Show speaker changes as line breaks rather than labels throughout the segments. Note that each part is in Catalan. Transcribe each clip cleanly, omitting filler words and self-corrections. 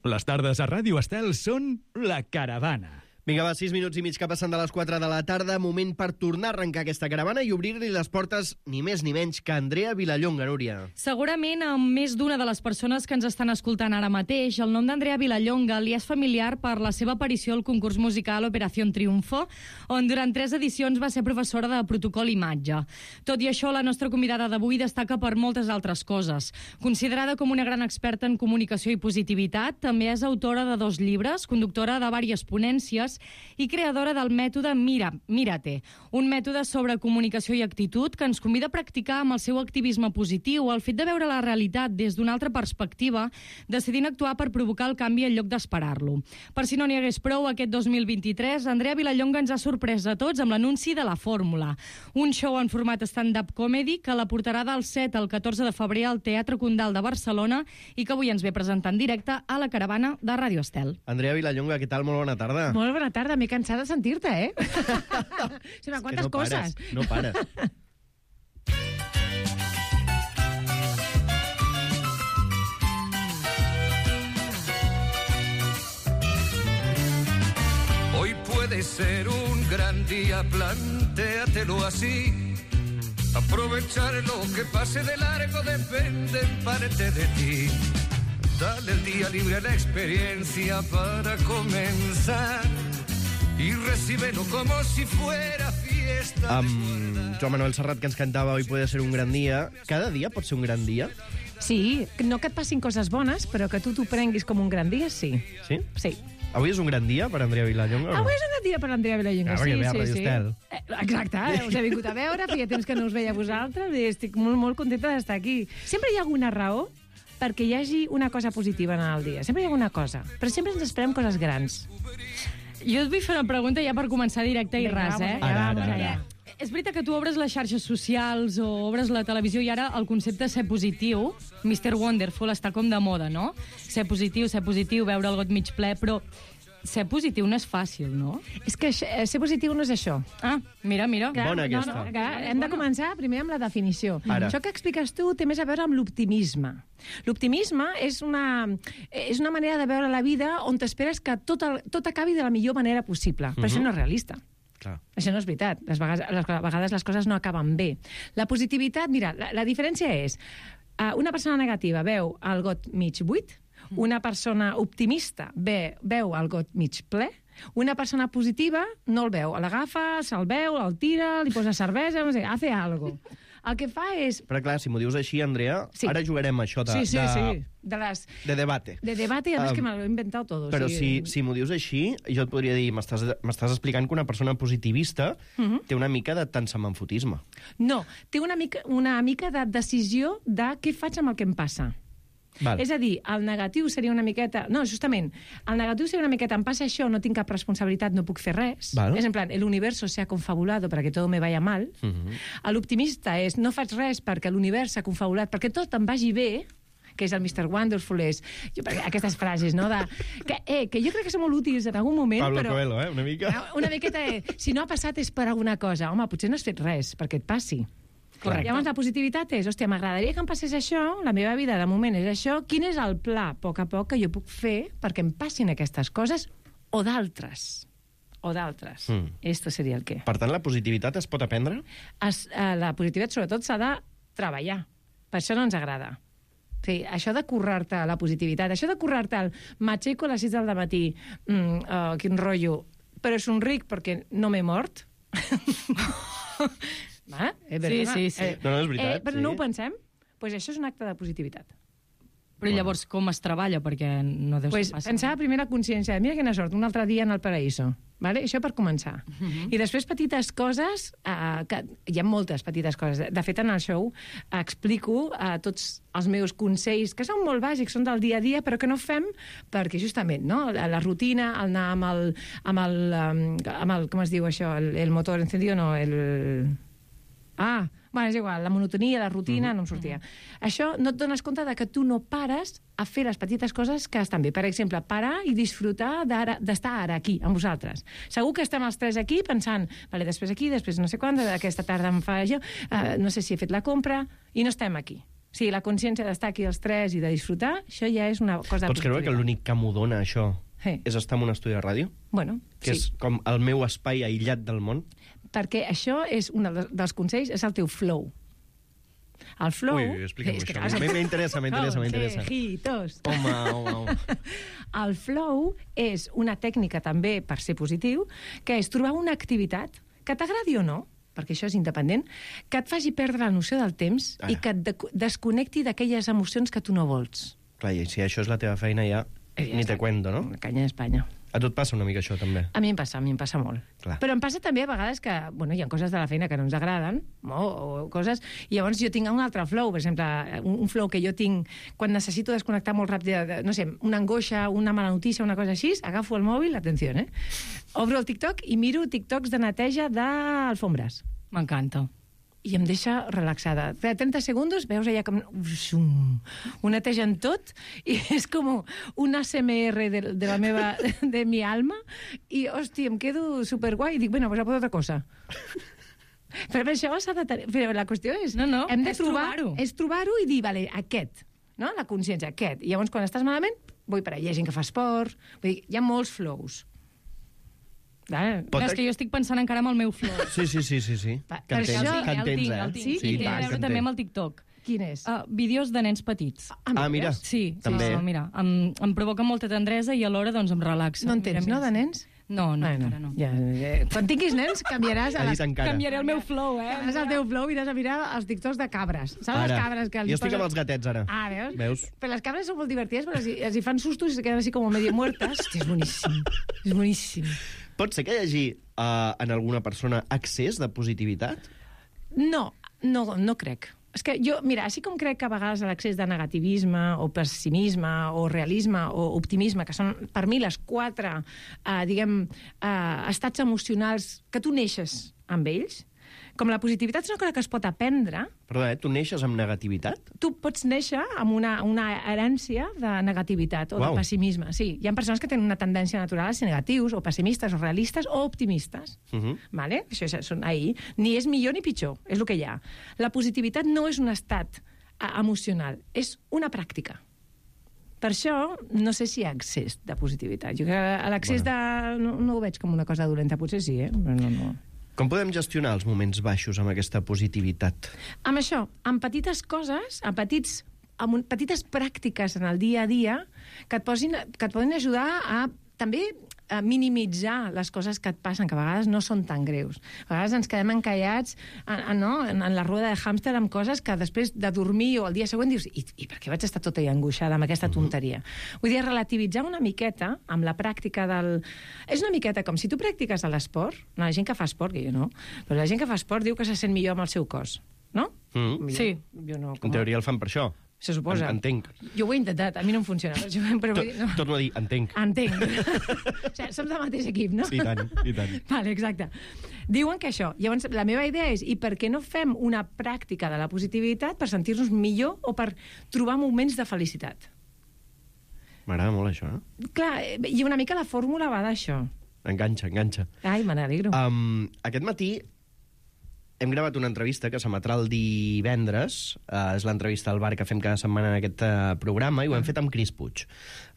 Les tardes a Ràdio Estel són La Caravana.
Vinga, va, 6 minuts i mig que passen de les 4 de la tarda, moment per tornar a arrencar aquesta caravana i obrir-li les portes ni més ni menys que Andrea Vilallonga, Núria.
Segurament amb més d'una de les persones que ens estan escoltant ara mateix, el nom d'Andrea Vilallonga li és familiar per la seva aparició al concurs musical Operación Triunfo, on durant 3 edicions va ser professora de protocol imatge. Tot i això, la nostra convidada d'avui destaca per moltes altres coses. Considerada com una gran experta en comunicació i positivitat, també és autora de 2 llibres, conductora de diverses ponències i creadora del mètode Mírate, un mètode sobre comunicació i actitud que ens convida a practicar amb el seu activisme positiu, el fet de veure la realitat des d'una altra perspectiva, decidint actuar per provocar el canvi en lloc d'esperar-lo. Per si no n'hi hagués prou, aquest 2023, Andrea Vilallonga ens ha sorprès a tots amb l'anunci de La Fórmula, un show en format stand-up comedy que la portarà del 7 al 14 de febrer al Teatre Condal de Barcelona i que avui ens ve presentar en directe a la caravana de Ràdio Estel.
Andrea Vilallonga, què tal? Molt bona tarda.
Molt bona tarda, m'he cansat de sentir-te, ¿eh? Sí, quantes coses.
No pares.
Hoy puede ser un gran día, plantéatelo así. Aprovechar lo que pase de largo depende en parte de ti. Dale el día libre a la experiencia para comenzar y recíbelo como si fuera fiesta.
Joan Manuel Serrat, que ens cantava Hoy puede ser un gran dia. Cada dia pot ser un gran dia?
Sí, no que et passin coses bones, però que tu t'ho prenguis com un gran dia, sí.
Sí?
Sí.
Avui és un gran dia per Andrea Vilallonga?
Avui és un gran dia per Andrea Vilallonga,
sí, sí.
Exacte, us he vingut a veure, feia temps que no us veia a vosaltres i estic molt, molt contenta d'estar aquí. Sempre hi ha alguna raó perquè hi hagi una cosa positiva en el dia. Sempre hi ha alguna cosa, però sempre ens esperem coses grans.
Jo et vull fer una pregunta ja per començar directe i ras, eh?
Ara.
És veritat que tu obres les xarxes socials o obres la televisió i ara el concepte ser positiu, Mr. Wonderful, està com de moda, no? Ser positiu, veure el got mig ple, però ser positiu no és fàcil, no?
És que ser positiu no és això.
Ah, mira.
Bona aquesta.
Hem de començar primer amb la definició.
Ara.
Això que expliques tu té més a veure amb l'optimisme. L'optimisme és una manera de veure la vida on t'esperes que tot acabi de la millor manera possible. Però això no és realista.
Clar.
Això no és veritat. A vegades les coses no acaben bé. La positivitat, mira, la diferència és una persona negativa veu el got mig buit, una persona optimista veu el got mig ple, una persona positiva no el veu, l'agafa, se'l veu, el tira, li posa cervesa, no sé, hace algo. El que fa és...
Però clar, si m'ho dius així, Andrea,
sí.
Ara jugarem a això
Sí.
de debate.
De debate, i a més que me l'he inventat tot.
Però si m'ho dius així, jo et podria dir, m'estàs explicant que una persona positivista té una mica de tansamanfotisme.
No, té una mica de decisió de què faig amb el que em passa.
Val.
És a dir, el negatiu seria una miqueta... No, justament, el negatiu seria una miqueta em passa això, no tinc cap responsabilitat, no puc fer res.
Val.
És en plan, el universo se ha confabulado para que todo me vaya mal. L'optimista és, no faig res perquè l'univers s'ha confabulat, perquè tot em vagi bé, que és el Mr. Wonderful, aquestes frases, no? Que jo crec que són molt útils en algun moment,
Pablo
però...
Coelho, una mica.
Una miqueta, si no ha passat és per alguna cosa. Home, potser no has fet res perquè et passi.
Correcte.
Llavors la positivitat és, hòstia, m'agradaria que em passés això, la meva vida de moment és això, quin és el pla, a poc que jo puc fer perquè em passin aquestes coses o d'altres? Esto seria el què.
Per tant, la positivitat es pot aprendre?
La positivitat, sobretot, s'ha de treballar. Per això no ens agrada. Sí, això de currar-te la positivitat, això de currar-te el m'aixeco a les 6 del matí, quin rotllo, però és un ric perquè no m'he mort.
Sí.
No, és veritat.
Però no ho pensem? Doncs això és un acte de positivitat.
Però llavors com es treballa? Perquè no deu ser fàcil.
Pensar primer la consciència. Mira quina sort, un altre dia en el paraíso. Vale? Això per començar. I després petites coses, que hi ha moltes petites coses. De fet, en el show explico tots els meus consells, que són molt bàsics, són del dia a dia, però que no fem perquè justament, no? La rutina, el anar amb el com es diu això? El motor encendido, no? Bueno, és igual, la monotonia, la rutina, no em sortia. Això no et dones compte de que tu no pares a fer les petites coses que estan bé. Per exemple, parar i disfrutar d'estar ara aquí, amb vosaltres. Segur que estem els tres aquí pensant, vale, després aquí, després no sé quan, aquesta tarda em fa això, no sé si he fet la compra, i no estem aquí. O sigui, la consciència d'estar aquí els tres i de disfrutar, això ja és una cosa
Pots creure que l'únic que m'ho dona, això, és estar en un estudi de ràdio?
Bueno,
Que és com el meu espai aïllat del món?
Perquè això és un dels consells, és el teu flow. El flow...
Ui, explica'm això. M'interessa.
Consejitos.
Home.
El flow és una tècnica també, per ser positiu, que és trobar una activitat que t'agradi o no, perquè això és independent, que et faci perdre la noció del temps i que et desconnecti d'aquelles emocions que tu no vols.
Clar, i si això és la teva feina ja ni te cuento, no?
La canya d'Espanya.
A tu et passa una mica això, també?
A mi em passa molt.
Clar.
Però em passa també a vegades que, bueno, hi ha coses de la feina que no ens agraden, o coses, i llavors jo tinc un altre flow, per exemple, un flow que jo tinc quan necessito desconnectar molt ràpid, no sé, una angoixa, una mala notícia, una cosa així, agafo el mòbil, atenció, obro el TikTok i miro TikToks de neteja d'alfombres.
M'encanta.
I em deixa relaxada. 30 segons, veus allà com... Ho netegen tot, i és com un ASMR de mi alma, i, hòstia, em quedo superguai, i dic, bueno, pues a por otra cosa. Però això s'ha de tenir... Però la qüestió és...
No,
hem de
és trobar-ho.
És trobar-ho i dir, vale, aquest, no? La consciència, aquest. I llavors, quan estàs malament, vull per allà, hi ha gent que fa esport... Vull dir, hi ha molts flows.
És que jo estic pensant encara en el meu flow.
Sí. Que en tens,
el tinc. I té a veure també amb el TikTok.
Quin és?
Vídeos de nens petits.
Mira.
Sí,
també.
mira. Em provoca molta tendresa i alhora doncs em relaxa.
No en tens, no, de nens?
No, encara no.
Ja, quan tinguis nens, canviaràs...
Canviaré el meu flow,
Canviaràs el teu flow i aniràs a mirar els TikToks de cabres. Saps les cabres que...
Jo estic amb els gatets, ara.
Veus? Però les cabres són molt divertides, però els hi fan sustos i se queden així com medio muertas. Hòstia, és boníssim.
Pot ser que hi hagi en alguna persona excés de positivitat?
No crec. És que jo, mira, així com crec que a vegades l'excés de negativisme o pessimisme o realisme o optimisme, que són per mi les 4, estats emocionals que tu neixes amb ells, com la positivitat és una cosa que es pot aprendre...
Perdó, tu neixes amb negativitat?
Tu pots néixer amb una herència de negativitat o de pessimisme. Sí, hi ha persones que tenen una tendència natural a ser negatius, o pessimistes, o realistes, o optimistes. Vale? Això són ahí. Ni és millor ni pitjor, és el que hi ha. La positivitat no és un estat emocional, és una pràctica. Per això, no sé si hi ha excés de positivitat. Jo crec que l'excés de... No ho veig com una cosa dolenta, potser sí, però no.
Com podem gestionar els moments baixos amb aquesta positivitat?
Amb això, amb petites coses, amb petites pràctiques en el dia a dia que et poden ajudar a també a minimitzar les coses que et passen, que a vegades no són tan greus. A vegades ens quedem encallats en la rueda de hàmster amb coses que després de dormir o el dia següent dius i per què vaig estar tota angoixada amb aquesta tonteria? Vull dir, relativitzar una miqueta amb la pràctica del... És una miqueta com si tu practiques l'esport, la gent que fa esport, que jo no, però la gent que fa esport diu que se sent millor amb el seu cos, no?
Sí.
Jo no,
en teoria el fan per això.
Se suposa.
Entenc.
Jo ho he intentat, a mi no em funciona. Però
torno a dir, entenc.
Entenc. O sigui, som del mateix equip, no?
Sí, i tant.
Vale, exacte. Diuen que això. Llavors, la meva idea és, i per què no fem una pràctica de la positivitat per sentir-nos millor o per trobar moments de felicitat?
M'agrada molt això,
Clar, i una mica la fórmula va d'això.
Enganxa.
Ai, me n'alegro.
Aquest matí hem gravat una entrevista que s'emetrà el divendres. És l'entrevista al bar que fem cada setmana en aquest programa, i ho hem fet amb Cris Puig,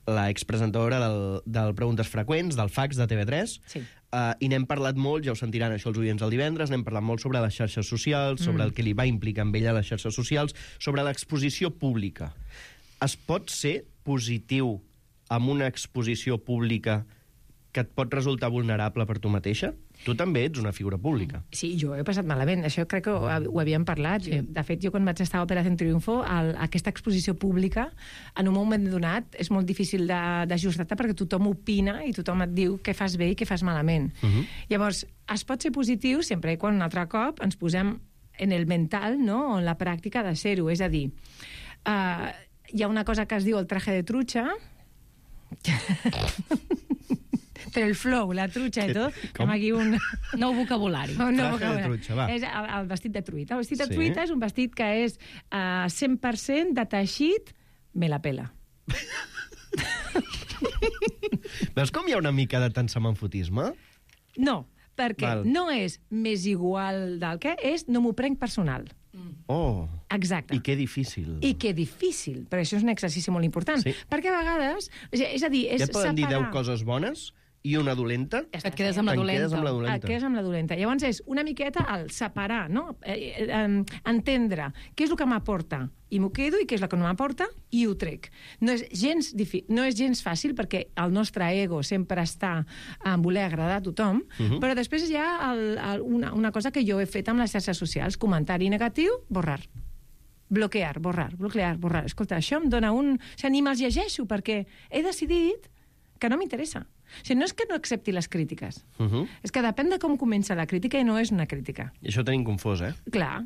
la expresentadora del Preguntes Freqüents, del Fax de TV3.
Sí.
I n'hem parlat molt, ja ho sentiran això els oients el divendres, n'hem parlat molt sobre les xarxes socials, sobre el que li va implicar amb ella les xarxes socials, sobre l'exposició pública. Es pot ser positiu amb una exposició pública que et pot resultar vulnerable per tu mateixa? Tu també ets una figura pública.
Sí, jo he passat malament. Això crec que ho havíem parlat. Sí. De fet, jo quan vaig estar a Operación Triunfo, aquesta exposició pública, en un moment donat, és molt difícil d'ajustar-te perquè tothom opina i tothom et diu què fas bé i què fas malament. Llavors, es pot ser positiu sempre i quan un altre cop ens posem en el mental, no?, en la pràctica de ser-ho. És a dir, hi ha una cosa que es diu el traje de trucha... Però el flow, la trucha i tot...
Com?
Aquí un
nou vocabulari.
Traje de trucha, va.
És el vestit de truita. El vestit de truita és un vestit que és 100% de teixit, me la pela.
Veus com hi ha una mica de tansamanfotisme?
No, perquè no és més igual del que és, no m'ho prenc personal.
Oh,
Exacte.
i que difícil.
I que difícil, però això és un exercici molt important.
Sí.
Perquè a vegades, és a dir, és
Ja et poden dir 10
separar...
coses bones i una dolenta.
Et quedes amb la
Te'n quedes
dolenta.
amb la
Et
dolenta.
quedes amb la dolenta. Llavors és una miqueta el separar, no? Entendre què és el que m'aporta i m'ho quedo i què és el que no m'aporta i ho trec. No és gens fàcil perquè el nostre ego sempre està en voler agradar a tothom, però després hi ha una cosa que jo he fet amb les xarxes socials, comentari negatiu, borrar. Bloquear, borrar. Escolta, això em dona un... O sigui, ni me'ls llegeixo perquè he decidit que no m'interessa. O sigui, no és que no accepti les crítiques. És que depèn de com comença la crítica i no és una crítica.
I això ho tenim confós, eh?
Clar.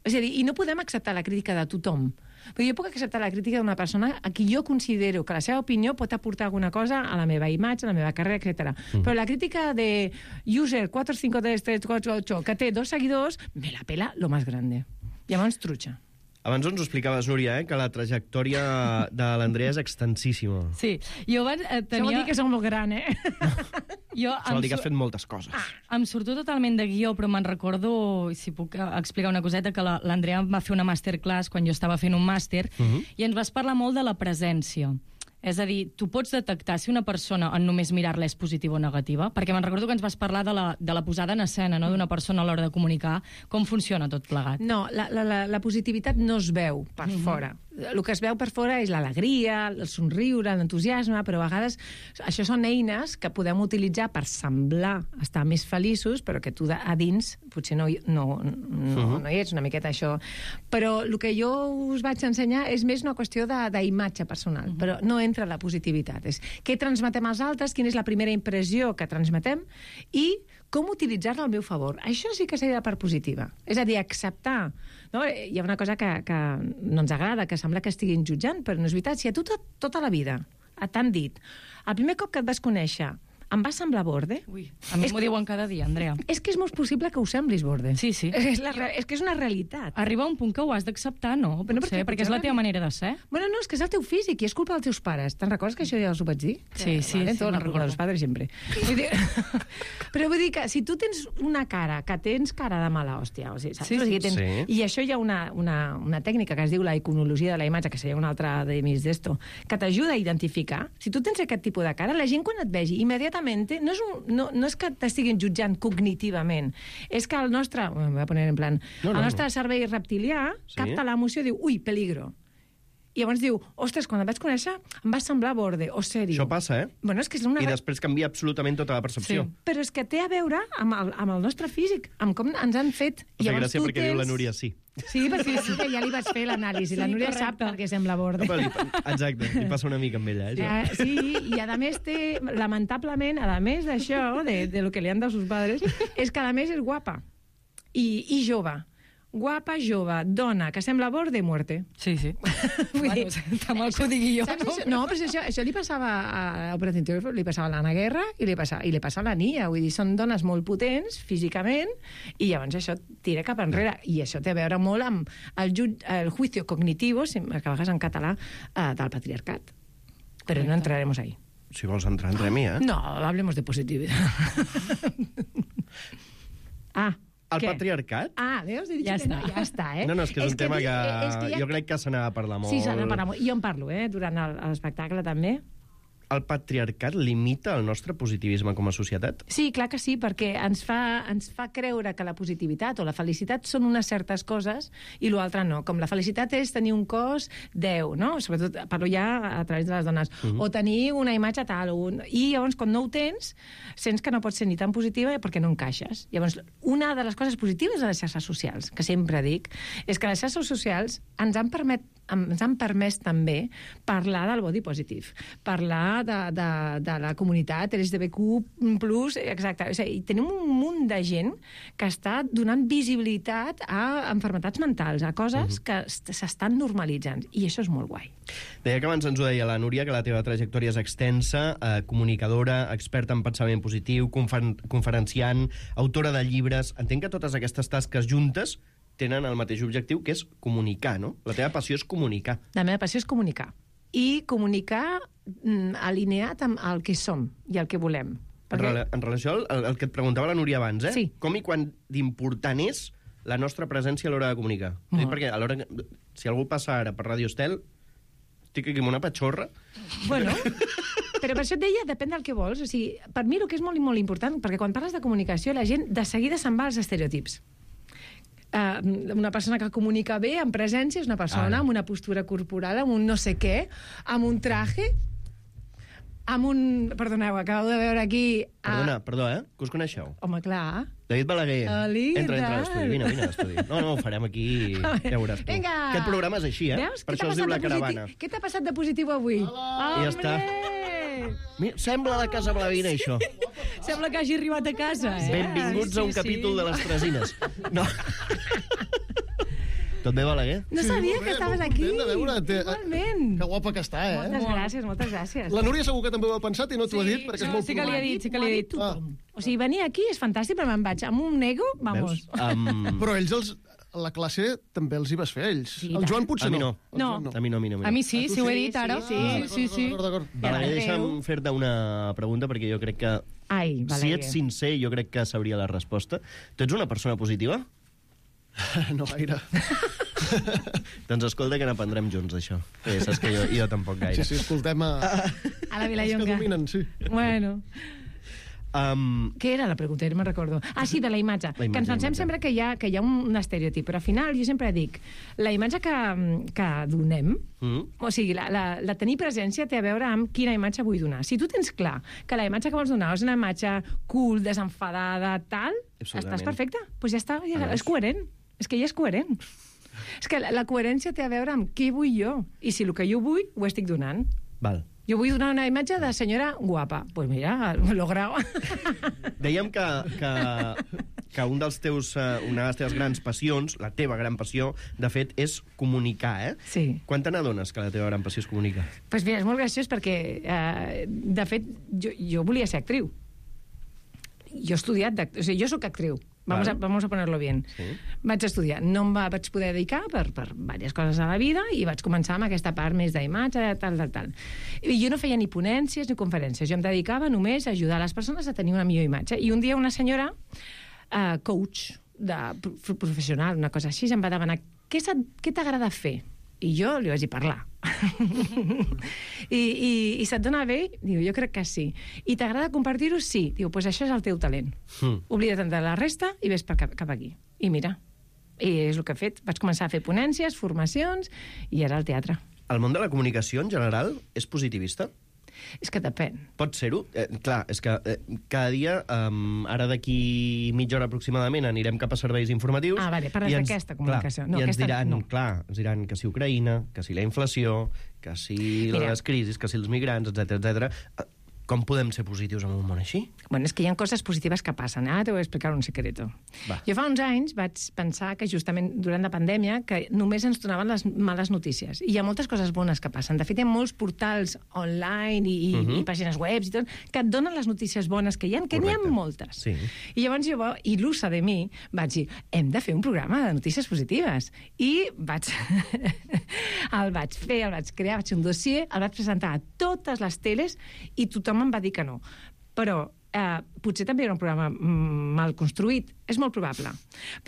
És a dir, i no podem acceptar la crítica de tothom. Però jo puc acceptar la crítica d'una persona a qui jo considero que la seva opinió pot aportar alguna cosa a la meva imatge, a la meva carrera, etc. Però la crítica de user 45338, que té 2 seguidors, me la pela lo más grande. Llavors, trucha.
Abans ens ho explicaves, Núria, que la trajectòria de l'Andrea és extensíssima.
Sí, jo abans
Això vol dir que som molt gran, eh?
Jo
Això vol dir que has fet moltes coses.
em surto totalment de guió, però me'n recordo, si puc explicar una coseta, que l'Andrea em va fer una masterclass quan jo estava fent un màster i ens vas parlar molt de la presència. És a dir, tu pots detectar si una persona en només mirar-la és positiva o negativa? Perquè me'n recordo que ens vas parlar de la posada en escena, no?, d'una persona a l'hora de comunicar. Com funciona tot plegat?
No, la positivitat no es veu per fora. El que es veu per fora és l'alegria, el somriure, l'entusiasme, però a vegades això són eines que podem utilitzar per semblar estar més feliços, però que tu a dins potser no hi ets, una miqueta això. Però el que jo us vaig ensenyar és més una qüestió d'imatge personal, però no entra la positivitat. És què transmetem als altres, quina és la primera impressió que transmetem i com utilitzar-la al meu favor. Això sí que seria la part positiva. És a dir, acceptar. No? Hi ha una cosa que no ens agrada, que sembla que estiguin jutjant, però no és veritat. Si a tu tota la vida t'han dit el primer cop que et vas conèixer em va semblar borde.
Ui, a mi m'ho diuen cada dia, Andrea.
És que és molt possible que ho semblis borde.
Sí, sí.
És que és una realitat.
Arriba un punt que ho has d'acceptar, no?
Però
Potser, perquè és la teva manera de ser.
Bueno, no, és que és el teu físic i és culpa dels teus pares. Te'n recordes que això ja els ho vaig dir?
Sí, sí,
Vale,
sí,
tot
me'n
la culpa
recordo.
dels pares sempre. Vull dir... Però vull dir que si tu tens una cara, que tens cara de mala hòstia, o sigui, saps?
Sí,
O sigui, tens...
sí.
I això hi ha una tècnica que es diu la iconologia de la imatge, que seria una altra de mis d'esto, que t'ajuda a identificar. Si tu tens aquest tipus de cara, la gent quan et vegi immediatament no és que t'estiguin jutjant cognitivament, és que el nostre, me voy a poner en plan, el nostre cervell reptilià capta l'emoció i diu, ui, peligro. I llavors diu, ostres, quan et vaig conèixer em va semblar borde o sèrio.
Això passa, eh?
Bueno, és que és una...
I després canvia absolutament tota la percepció.
Sí.
Però és que té a veure amb el nostre físic, amb com ens han fet...
Em fa gràcia perquè diu la Núria sí.
Sí, perquè ja li vaig fer l'anàlisi.
Sí,
la Núria
correcte.
sap perquè sembla borde.
Exacte, li passa una mica amb ella, això.
Sí, i a més té, lamentablement, a més d'això, de lo que li han dado sus padres, és que a més és guapa i jove. Guapa, jove, dona, que sembla borde, muerte.
Sí, sí.
Vull dir,
Està mal que ho digui jo,
saps
no?
això? No, però això li passava a Operación Triunfo, li passava a l'Anna Guerra i li passava a la Nia. Vull dir, són dones molt potents físicament i llavors això tira cap enrere. I això té a veure molt amb el juicio cognitivo, que a vegades en català, del patriarcat. Però no entraremos ahí.
Si vols entrar, entrem-hi, eh?
No, hablemos de positividad.
El
què?
patriarcat?
Veus? He dit
Ja
que no,
està.
ja està, eh?
No, és que és un tema que
ja...
jo crec que se n'ha de parlar molt.
Sí, s'ha de parlar molt. I jo en parlo, durant l'espectacle també.
El patriarcat limita el nostre positivisme com a societat?
Sí, clar que sí, perquè ens fa creure que la positivitat o la felicitat són unes certes coses i l'altre no. Com la felicitat és tenir un cos 10, no? Sobretot parlo ja a través de les dones. O tenir una imatge tal. I llavors, quan no ho tens, sents que no pots ser ni tan positiva perquè no encaixes. Llavors, una de les coses positives de les xarxes socials, que sempre dic, és que les xarxes socials ens han permès també parlar del body positive, parlar de la comunitat LGBTQ+, exacte. O sigui, tenim un munt de gent que està donant visibilitat a malalties mentals, a coses que s'estan normalitzant, i això és molt guai.
Deia que abans ens ho deia la Núria, que la teva trajectòria és extensa, comunicadora, experta en pensament positiu, conferenciant, autora de llibres. Entenc que totes aquestes tasques juntes tenen el mateix objectiu, que és comunicar, no? La teva passió és comunicar.
La meva passió és comunicar. I comunicar alineat amb el que som i el que volem.
En relació al que et preguntava la Núria abans,
Sí.
com i quan d'important és la nostra presència a l'hora de comunicar. Perquè a l'hora si algú passa ara per Ràdio Estel, estic aquí amb una patxorra.
Bueno, però per això et deia, depèn del que vols. O sigui, per mi el que és molt i molt important, perquè quan parles de comunicació, la gent de seguida se'n va als estereotips. Una persona que comunica bé, amb presència, és una persona amb una postura corporal, amb un no sé què, amb un traje, amb un... Perdoneu, acabo de veure aquí...
Perdó, que us coneixeu?
Home, clar.
David Balaguer. Entra a l'estudi, vine a l'estudi. No, ho farem aquí, ja veuràs tu.
Vinga!
Aquest programa és així,
Veus?
Per això es diu La Caravana.
Què t'ha passat de positiu avui?
I ja està. Mira, sembla la Casa Blavina, això.
Sembla que hagi arribat a casa,
Benvinguts a un capítol de les Tresines. No. Tot bé, Balaguer?
No sabia que estaves aquí.
Content de veure't.
Igualment.
Que guapa que està,
Moltes gràcies.
La Núria segur que també ho ha pensat i no t'ho ha dit, perquè és molt
sí que li he dit.
O sigui, venir aquí és fantàstic, però me'n vaig amb un ego, vamos.
Però ells, la classe, també els hi vas fer, ells.
Sí,
El Joan potser
a mi no.
No.
A mi no.
A mi sí, si ho he dit ara.
Sí.
D'acord.
Balaguer, deixa'm fer-te una pregunta, perquè jo crec que...
Ai,
si
Balaguer.
ets sincer, jo crec que sabria la resposta. Tu ets una persona positiva?
No gaire.
Doncs escolta que n'aprendrem junts, d'això. Saps que jo tampoc gaire.
Sí, escoltem
A la
els que
Vilallonga.
dominen, sí.
Bueno. Què era la pregunta? No me'n recordo. Sí, de la imatge. Que ens pensem sempre que hi ha un estereotip, però al final jo sempre dic, la imatge que donem, o sigui, la tenir presència té a veure amb quina imatge vull donar. Si tu tens clar que la imatge que vols donar és una imatge cool, desenfadada, tal, estàs perfecte. Doncs ja està, és coherent. És que ja és coherent. És que la coherència té a veure amb què vull jo. I si el que jo vull, ho estic donant.
Val.
Jo vull donar una imatge de senyora guapa. Doncs pues mira, lo grau.
Dèiem que una de les teves grans passions, la teva gran passió, de fet, és comunicar,
Sí.
Quan te n'adones que la teva gran passió és comunicar?
Doncs mira, és molt graciós perquè, de fet, jo volia ser actriu. Jo he estudiat, o sigui, jo sóc actriu. Vamos a ponerlo bien.
Sí.
Vaig estudiar. No em vaig poder dedicar per diverses coses a la vida i vaig començar amb aquesta part més d'imatge, tal. I jo no feia ni ponències ni conferències. Jo em dedicava només a ajudar les persones a tenir una millor imatge. I un dia una senyora, coach professional, una cosa així, em va demanar què t'agrada fer? I jo li vaig dir parlar. I se't dona bé? Diu, jo crec que sí. I t'agrada compartir-ho? Sí. Diu, doncs això és el teu talent. Oblida't de la resta i ves cap aquí. I mira, i és el que he fet. Vaig començar a fer ponències, formacions, i ara al teatre.
El món de la comunicació, en general, és positivista?
És que depèn.
Pot ser-ho? Clar, és que cada dia, ara d'aquí mitja hora aproximadament, anirem cap a serveis informatius...
Vale, parles d'aquesta comunicació.
Clar, i ens diran que si Ucraïna, que si la inflació, que si les crisis, que si els migrants, etc. Com podem ser positius en un món així?
Bueno, és que hi ha coses positives que passen. Ara te voy a explicar un secreto.
Va.
Jo fa uns anys vaig pensar que justament durant la pandèmia que només ens donaven les males notícies. I hi ha moltes coses bones que passen. De fet, hi ha molts portals online i pàgines webs i tot que et donen les notícies bones que hi ha, que n'hi ha moltes.
Sí.
I llavors jo, il·lusa de mi, vaig dir, hem de fer un programa de notícies positives. I el vaig crear, vaig fer un dossier, el vaig presentar a totes les teles i tothom em va dir que no. Però potser també era un programa mal construït, és molt probable.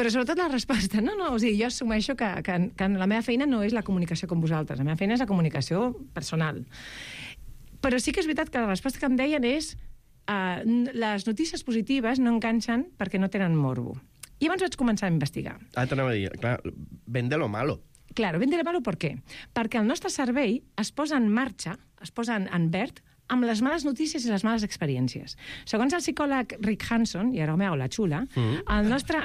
Però sobretot la resposta, o sigui, jo assumeixo que la meva feina no és la comunicació com vosaltres, la meva feina és la comunicació personal. Però sí que és veritat que la resposta que em deien és les notícies positives no enganxen perquè no tenen morbo. I llavors vaig començar a investigar.
T'anava a dir, clar, ven de lo malo.
Claro, ven de lo malo per què? Perquè el nostre cervell es posa en marxa, es posa en verd, amb les males notícies i les males experiències. Segons el psicòleg Rick Hanson, i ara m'ho la xula, el nostre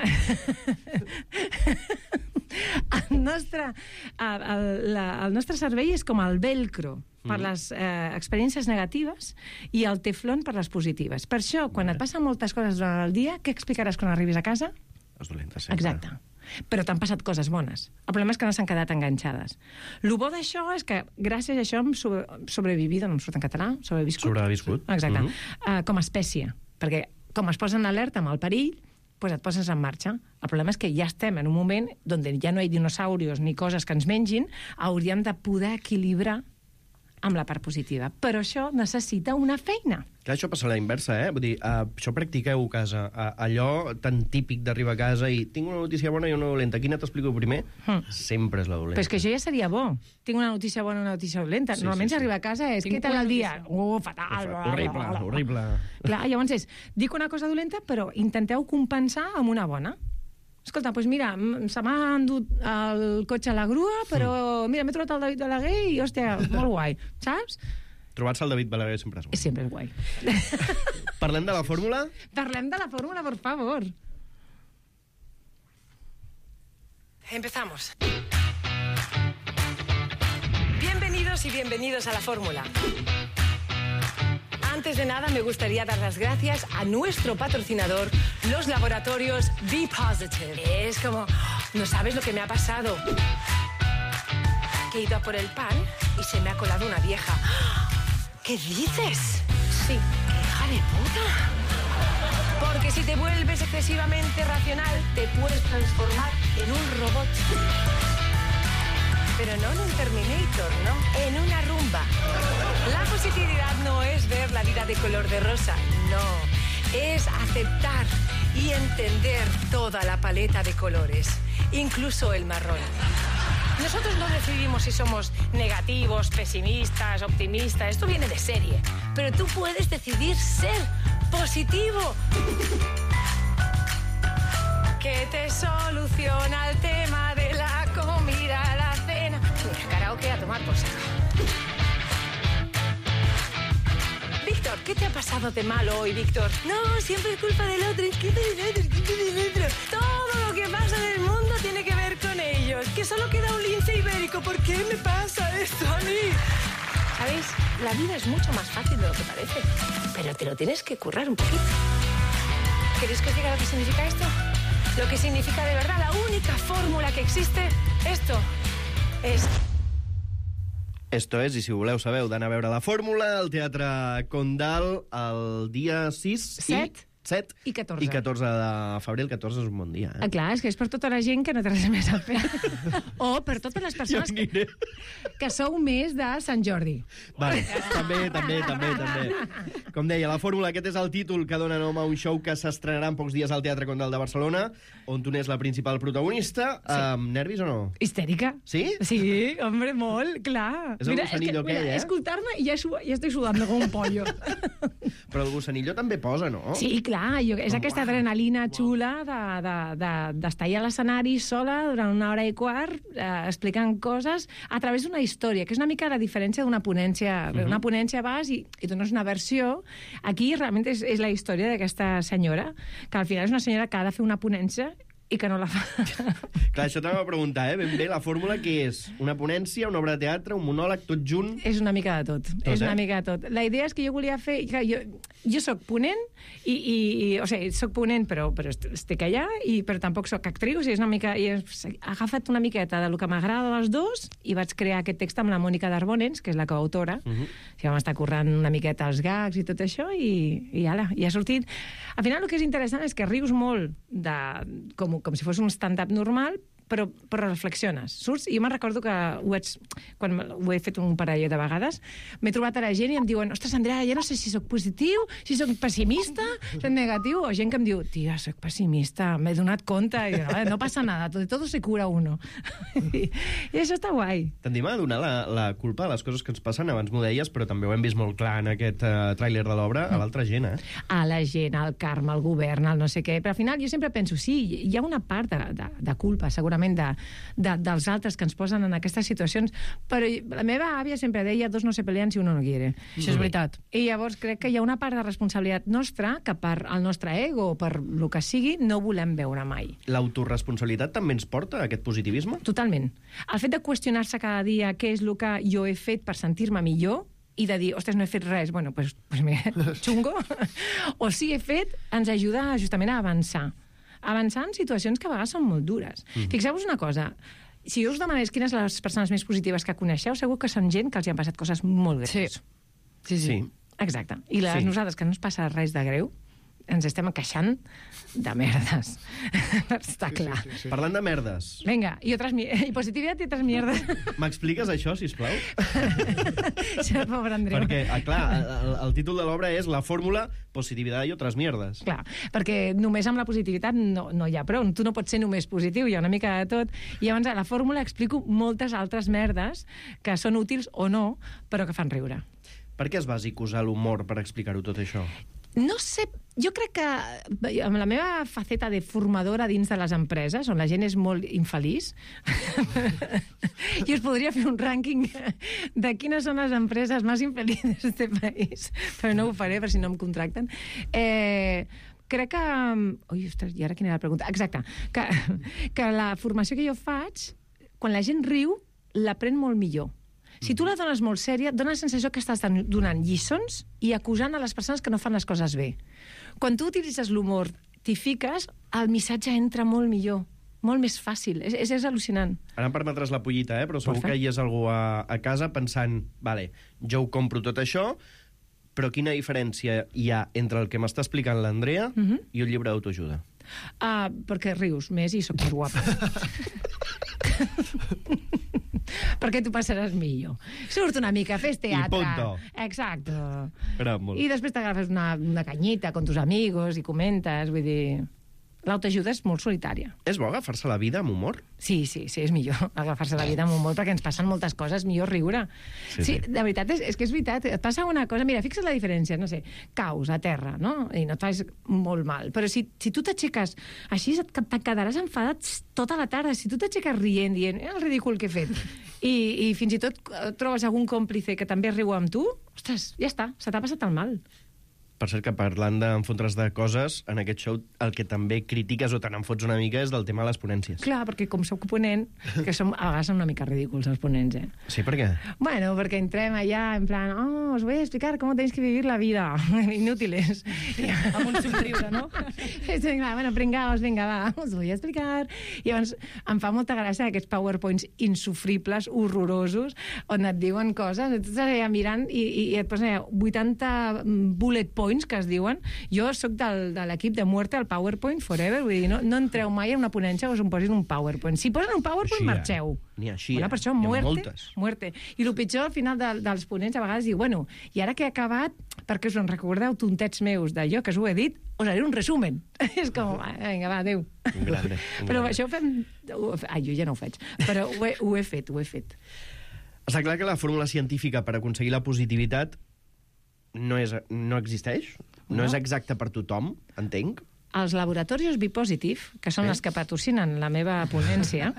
cervell és com el velcro per les experiències negatives i el teflon per les positives. Per això, quan et passen moltes coses durant el dia, què explicaràs quan arribis a casa?
És dolenta sempre.
Exacte. Però t'han passat coses bones. El problema és que no s'han quedat enganxades. El bo d'això és que gràcies a això hem sobrevivido, no em surt en català, sobreviscut. Exacte. Com a espècie. Perquè com es posa en alerta amb el perill, doncs et poses en marxa. El problema és que ja estem en un moment on ja no hi ha dinosaurios ni coses que ens mengin, hauríem de poder equilibrar amb la part positiva. Però això necessita una feina.
Clar, això passa a la inversa, eh? Vull dir, això practiqueu a casa. Allò tan típic d'arribar a casa i tinc una notícia bona i una dolenta. Quina t'explico primer? Sempre és la dolenta.
Però és que això ja seria bo. Tinc una notícia bona i una notícia dolenta. Normalment s'arriba a casa és, què tal el dia? Fatal.
Horrible.
Clar, llavors és, dic una cosa dolenta, però intenteu compensar amb una bona. Escolta, doncs mira, se m'ha endut el cotxe a la grua, però mira, m'he trobat el David Balaguer i, hòstia, molt guai, saps?
Trobar-se el David Balaguer sempre és guai.
Sempre és guai.
Parlem de la fórmula?
Parlem de la fórmula, por favor.
Empezamos. Bienvenidos y bienvenidos a la fórmula. Antes de nada, me gustaría dar las gracias a nuestro patrocinador, los laboratorios Be Positive. Es como, no sabes lo que me ha pasado. Que he ido a por el pan y se me ha colado una vieja. ¿Qué dices? Sí. ¡Qué hija de puta! Porque si te vuelves excesivamente racional, te puedes transformar en un robot. Pero no en un Terminator, ¿no? En una rumba. La positividad no es ver la vida de color de rosa, no. Es aceptar y entender toda la paleta de colores, incluso el marrón. Nosotros no decidimos si somos negativos, pesimistas, optimistas. Esto viene de serie. Pero tú puedes decidir ser positivo. Que te soluciona el tema de la comida, la cena. Mira, karaoke a tomar por saco. Víctor, ¿qué te ha pasado de malo hoy, Víctor? No, siempre es culpa del otro, es culpa del otro, es culpa del otro. Todo lo que pasa en el mundo tiene que ver con ellos. Que solo queda un lince ibérico. ¿Por qué me pasa esto a mí? ¿Sabéis? La vida es mucho más fácil de lo que parece. Pero te lo tienes que currar un poquito. ¿Queréis que os diga lo que significa esto? Lo que significa de verdad, la única fórmula que existe, esto es...
Esto és, i si voleu sabeu d'anar a veure la fórmula, al Teatre Condal el dia 6 7
i 14.
I 14 de febrer. El 14 és un bon dia, eh?
Clar, és que és per tota la gent que no té res més a fer. O per totes les persones que sou més de Sant Jordi.
Vale, també. Com deia, la fórmula, aquest és el títol que dona nom a un show que s'estrenarà en pocs dies al Teatre Condal de Barcelona, on tu n'és la principal protagonista. Sí. Nervis o no?
Histèrica.
Sí?
Sí, hombre, molt, clar.
És el gossanillo aquell, eh?
Escoltar-me i ja estic sudant com un pollo.
Però el gossanillo també posa, no?
Sí, clar, és aquesta adrenalina xula d'estar allà a l'escenari sola durant 1 hora i quart explicant coses a través d'una història, que és una mica la diferència d'una ponència. Una ponència vas i dones una versió. Aquí realment és la història d'aquesta senyora, que al final és una senyora que ha de fer una ponència i que no la fa.
Clar, això t'anava a preguntar, Ben bé, la fórmula què és? Una ponència, una obra de teatre, un monòleg, tot junt?
És una mica de tot. És una mica de tot. La idea és que jo volia fer... Jo soc ponent, o sigui, soc ponent, però estic allà, però tampoc soc actriu, o sigui, és una mica... He agafat una miqueta del que m'agrada dels dos i vaig crear aquest text amb la Mònica Darbonens, que és la coautora. Si vam estar currant una miqueta els gags i tot això, i ala, i ha sortit... Al final, el que és interessant és que rius molt com si fos un stand-up normal, però reflexiones. Surts, i jo me'n recordo que quan ho he fet un parell de vegades, m'he trobat a la gent i em diuen, ostres, Andrea, jo no sé si sóc positiu, si sóc pessimista, sóc negatiu, o gent que em diu, tia, sóc pessimista, m'he donat compte, i no passa nada, de todo se cura uno. I això està guai.
Tendim a donar la culpa a les coses que ens passen, abans m'ho deies, però també ho hem vist molt clar en aquest tràiler de l'obra, a l'altra gent, eh?
A la gent, al Carme, al govern, al no sé què, però al final jo sempre penso, sí, hi ha una part de culpa, segurament, dels altres que ens posen en aquestes situacions, però la meva àvia sempre deia, dos no se pelean si uno no quiere.
Això és veritat.
I llavors crec que hi ha una part de responsabilitat nostra que per el nostre ego o per el que sigui no volem veure mai.
L'autoresponsabilitat també ens porta a aquest positivisme?
Totalment. El fet de qüestionar-se cada dia què és el que jo he fet per sentir-me millor i de dir, ostres, no he fet res, bueno, pues mira, xungo, o sí he fet, ens ajuda justament a avançar en situacions que a vegades són molt dures. Fixeu-vos una cosa, si jo us demanés quines les persones més positives que coneixeu, segur que són gent que els hi han passat coses molt greus.
Sí.
Exacte. I nosaltres, que no ens passa res de greu, ens estem queixant de merdes. Està clar.
Sí.
Parlant de merdes,
Vinga, y positividad y otras mierdas.
m'expliques això, sisplau?
Això, pobre Andreu.
Perquè, clar, el títol de l'obra és La fórmula, positivitat i otras mierdes.
Clar, perquè només amb la positivitat no hi ha prou. Tu no pots ser només positiu, hi ha una mica de tot. I llavors a la fórmula explico moltes altres merdes que són útils o no, però que fan riure.
Per què es va usar l'humor per explicar-ho tot això?
No sé, jo crec que amb la meva faceta de formadora dins de les empreses, on la gent és molt infeliç, jo us podria fer un rànquing de quines són les empreses més infelices d'aquest país, però no ho faré per si no em contracten. Crec que... Ui, ostres, i ara quina era la pregunta? Exacte, que la formació que jo faig, quan la gent riu, l'aprèn molt millor. Si tu la dones molt sèria, dona la sensació que estàs donant lliçons i acusant a les persones que no fan les coses bé. Quan tu utilitzes l'humor, t'hi fiques, el missatge entra molt millor, molt més fàcil. És al·lucinant.
Ara em permetràs la pollita, però segur que hi és algú a casa pensant, vale, jo ho compro tot això, però quina diferència hi ha entre el que m'està explicant l'Andrea i un llibre d'autoajuda?
Perquè rius més i sóc més guapa. Perquè tu passaràs millor. Surt una mica, fes teatre.
I punto.
Exacte.
Molt.
I després t'agafes una canyita con tus amigos i comentes, vull dir... L'autoajuda és molt solitària.
És bo agafar-se la vida amb humor?
Sí, és millor agafar-se la vida amb humor perquè ens passen moltes coses, millor riure. Sí, de veritat, és que és veritat. Et passa una cosa, mira, fixa't la diferència, no sé, caus a terra, no? I no et fas molt mal. Però si tu t'aixeques així, te quedaràs enfadat tota la tarda. Si tu t'aixeques rient, dient, el ridícul que he fet, i fins i tot trobes algun còmplice que també riu amb tu, ostres, ja està, se t'ha passat el mal.
Per cert, que parlant d'enfotre's de coses, en aquest show el que també critiques o te n'enfots una mica és del tema de les ponències.
Clar, perquè com soc ponent, que a vegades són una mica ridículs els ponents,
Sí, per què?
Bueno, perquè entrem allà en plan, os voy a explicar cómo tenéis que vivir la vida. Inútiles.
Amb un somriure, no?
Bueno, pringaos, vinga, va, us voy a explicar. I llavors em fa molta gràcia aquests PowerPoints insufribles, horrorosos, on et diuen coses, tu estàs allà mirant i et posen 80 bullet points que es diuen. Jo sóc de l'equip de Muerte al PowerPoint Forever, vull dir, no entreu mai a una ponència o us posin un PowerPoint. Si posen un PowerPoint, marxeu.
Ni així,
Per això, muerte. I el pitjor, al final dels ponents, a vegades diu, bueno, i ara que he acabat, perquè us en recordeu tontets meus d'allò que us ho he dit, us haré un resumen. És com, vinga, va, adéu.
Un grande.
Però això ho fem... jo ja no ho faig, però ho he fet.
Està clar que la fórmula científica per aconseguir la positivitat no existeix? No és exacta per tothom, entenc?
Els laboratoris Bipositive, que són els que patrocinen la meva ponència,